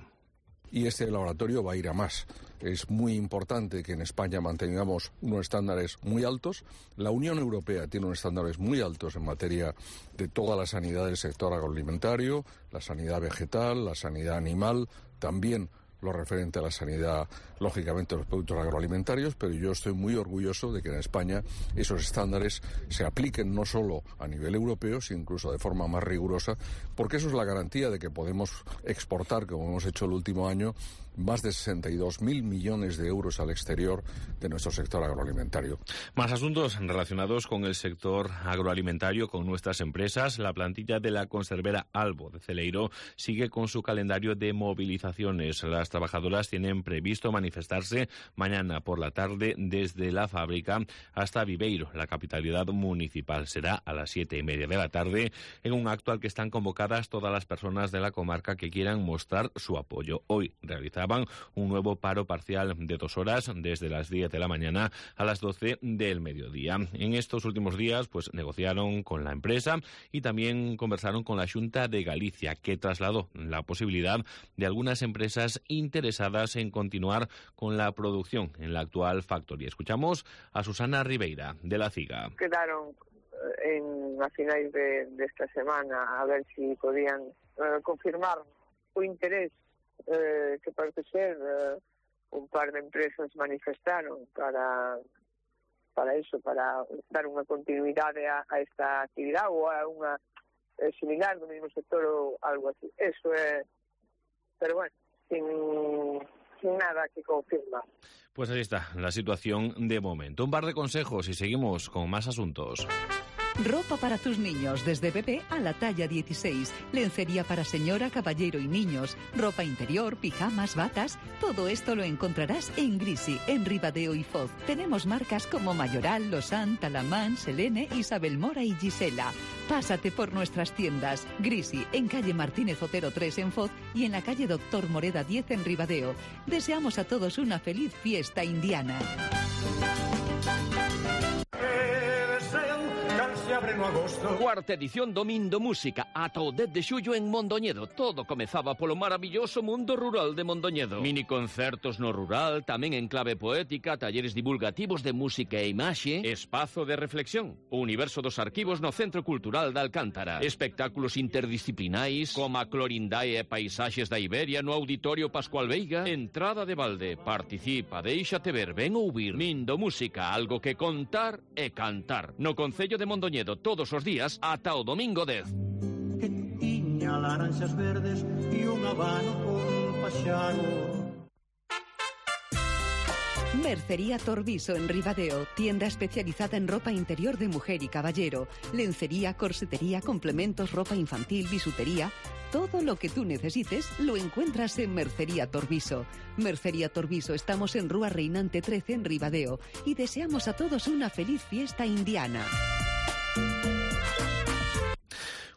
E: Y este laboratorio va a ir a más. Es muy importante que en España mantengamos unos estándares muy altos. La Unión Europea tiene unos estándares muy altos en materia de toda la sanidad del sector agroalimentario, la sanidad vegetal, la sanidad animal, también lo referente a la sanidad, lógicamente, de los productos agroalimentarios, pero yo estoy muy orgulloso de que en España esos estándares se apliquen no solo a nivel europeo, sino incluso de forma más rigurosa, porque eso es la garantía de que podemos exportar, como hemos hecho el último año, más de sesenta y dos mil millones de euros al exterior de nuestro sector agroalimentario.
C: Más asuntos relacionados con el sector agroalimentario, con nuestras empresas. La plantilla de la conservera Albo de Celeiro sigue con su calendario de movilizaciones. Las trabajadoras tienen previsto manifestarse mañana por la tarde desde la fábrica hasta Viveiro, la capitalidad municipal. Será a las siete y media de la tarde en un acto al que están convocadas todas las personas de la comarca que quieran mostrar su apoyo. Hoy realizarán un nuevo paro parcial de dos horas desde las diez de la mañana a las doce del mediodía. En estos últimos días pues negociaron con la empresa y también conversaron con la Xunta de Galicia, que trasladó la posibilidad de algunas empresas interesadas en continuar con la producción en la actual factoría. Escuchamos a Susana Ribeira, de la CIGA.
O: Quedaron en, a finais de, de esta semana a ver si podían eh, confirmar o interés Eh, que parece ser eh, un par de empresas manifestaron para para eso, para dar unha continuidade a, a esta actividade ou a unha eh, similar do mesmo sector ou algo así. Eso é, pero bueno, sin, sin nada que confirmar.
C: Pues ahí está la situación de momento. Un par de consejos y seguimos con más asuntos.
G: Ropa para tus niños, desde bebé a la talla dieciséis. Lencería para señora, caballero y niños. Ropa interior, pijamas, batas. Todo esto lo encontrarás en Grisi, en Ribadeo y Foz. Tenemos marcas como Mayoral, Lausanne, Talamán, Selene, Isabel Mora y Gisela. Pásate por nuestras tiendas. Grisi, en calle Martínez Otero tres en Foz y en la calle Doctor Moreda diez en Ribadeo. Deseamos a todos una feliz fiesta indiana.
H: Cuarta edición do Mindo Música, ata o dez de xullo en Mondoñedo. Todo comezaba polo maravilloso mundo rural de Mondoñedo. Mini concertos no rural, tamén en clave poética, talleres divulgativos de música e imaxe, espazo de reflexión, o universo dos arquivos no Centro Cultural da Alcántara, espectáculos interdisciplinais, como a Clorindae e Paisaxes da Iberia no Auditorio Pascual Veiga, entrada de balde, participa, déixate ver, ven ouvir. Mindo Música, algo que contar e cantar. No Concello de Mondoñedo, todos os días ata o domingo dez.
M: Que tiña laranxas verdes e un abano con paxaro.
G: Mercería Torviso en Ribadeo, tienda especializada en ropa interior de mujer y caballero, lencería, corsetería, complementos, ropa infantil, bisutería. Todo lo que tú necesites lo encuentras en Mercería Torviso. Mercería Torviso, estamos en Rúa Reinante trece en Ribadeo y deseamos a todos una feliz fiesta indiana.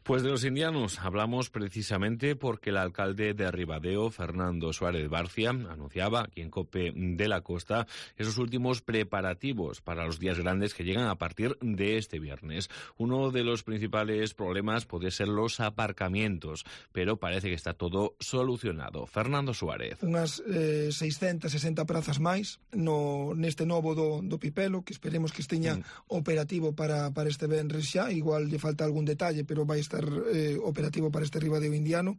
C: Pues de los indianos hablamos precisamente porque el alcalde de Ribadeo, Fernando Suárez Barcia, anunciaba aquí en COPE de la Costa esos últimos preparativos para los días grandes que llegan a partir de este viernes. Uno de los principales problemas puede ser los aparcamientos, pero parece que está todo solucionado. Fernando Suárez.
L: Unhas eh, seiscentas sesenta prazas máis no, neste novo do, do Pipelo, que esperemos que esteña mm. operativo para, para este venres xa. Igual lle falta algún detalle, pero vai estar Eh, operativo para este Ribadeo indiano,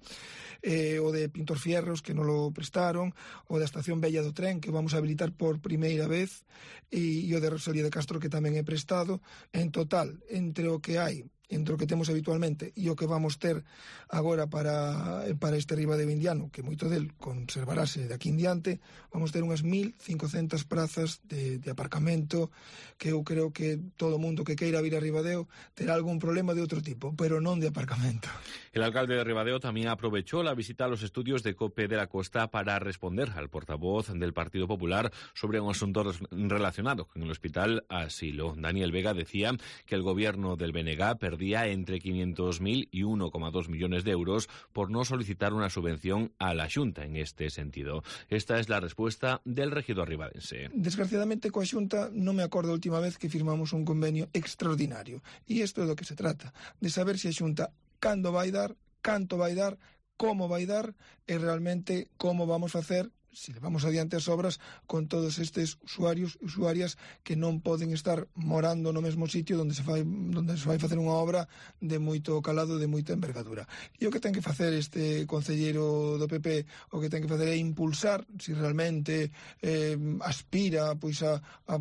L: eh, o de Pintor Fierros, que non lo prestaron, o da Estación Bella do Tren, que vamos a habilitar por primeira vez, e, e o de Rosalía de Castro, que tamén é prestado. En total, entre o que hai, entre o que temos habitualmente e o que vamos ter agora para, para este Ribadeo indiano, que moito del conservarase de aquí en diante, vamos ter unhas mil cincocentas prazas de, de aparcamento, que eu creo que todo o mundo que queira vir a Ribadeo terá algún problema de outro tipo, pero non de aparcamento.
C: El alcalde de Ribadeo también aprovechó la visita a los estudios de COPE de la Costa para responder al portavoz del Partido Popular sobre un asunto relacionado con el Hospital Asilo. Daniel Vega decía que el gobierno del B N G perdía entre quinientos mil y uno coma dos millones de euros por no solicitar una subvención a la Xunta en este sentido. Esta es la respuesta del regidor ribadense.
L: Desgraciadamente, coa Xunta non me acordo a última vez que firmamos un convenio extraordinario. E isto é do que se trata, de saber se a Xunta cando vai dar, canto vai dar, como vai dar e realmente como vamos facer, se levamos adiante as obras con todos estes usuarios e usuarias que non poden estar morando no mesmo sitio onde se fai, onde se vai facer unha obra de moito calado, de moita envergadura. E o que ten que facer este concelleiro do P P, o que ten que facer é impulsar, se realmente eh, aspira pois a, a,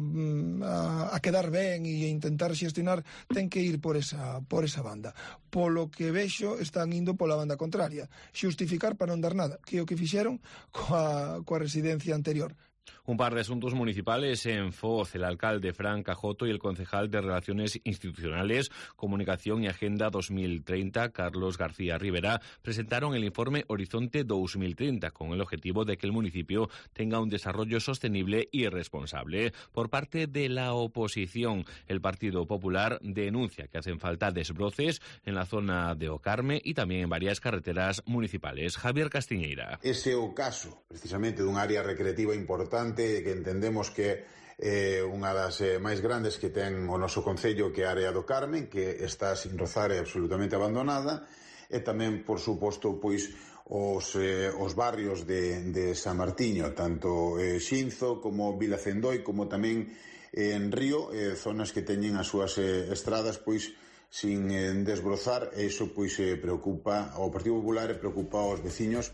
L: a quedar ben e a intentar xestionar, ten que ir por esa, por esa banda. Polo que vexo, están indo pola banda contraria, xustificar para non dar nada, que é o que fixeron coa coa residencia anterior.
C: Un par de asuntos municipales en Foz. El alcalde Fran Cajoto y el concejal de Relaciones Institucionales, Comunicación y Agenda dos mil treinta, Carlos García Rivera, presentaron el informe Horizonte dos mil treinta con el objetivo de que el municipio tenga un desarrollo sostenible y responsable. Por parte de la oposición, el Partido Popular denuncia que hacen falta desbroces en la zona de O Carme y también en varias carreteras municipales. Javier Castiñeira.
T: Ese é o caso, precisamente, dun área recreativa importante que entendemos que é eh, unha das eh, máis grandes que ten o noso concello, que é a área do Carmen, que está sin rozar e absolutamente abandonada, e tamén, por suposto, pois os, eh, os barrios de, de San Martiño, tanto eh, Xinzo como Vila Cendoi, como tamén eh, en Río, eh, zonas que teñen as súas eh, estradas pois sin eh, desbrozar, e iso pois eh, preocupa ao Partido Popular e preocupa aos veciños.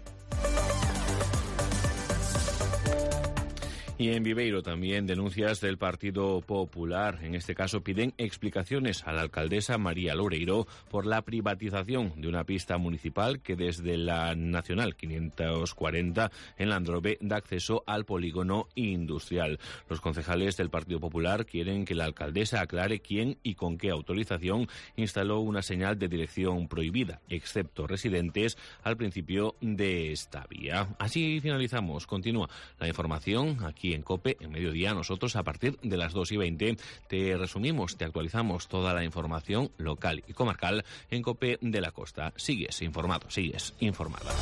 C: Y en Viveiro también denuncias del Partido Popular. En este caso piden explicaciones a la alcaldesa María Loureiro por la privatización de una pista municipal que desde la Nacional quinientos cuarenta en Landrove da acceso al polígono industrial. Los concejales del Partido Popular quieren que la alcaldesa aclare quién y con qué autorización instaló una señal de dirección prohibida, excepto residentes, al principio de esta vía. Así finalizamos. Continúa la información aquí en COPE, en mediodía. Nosotros a partir de las dos y veinte te resumimos, te actualizamos toda la información local y comarcal en COPE de la Costa. Sigues informado, sigues informada.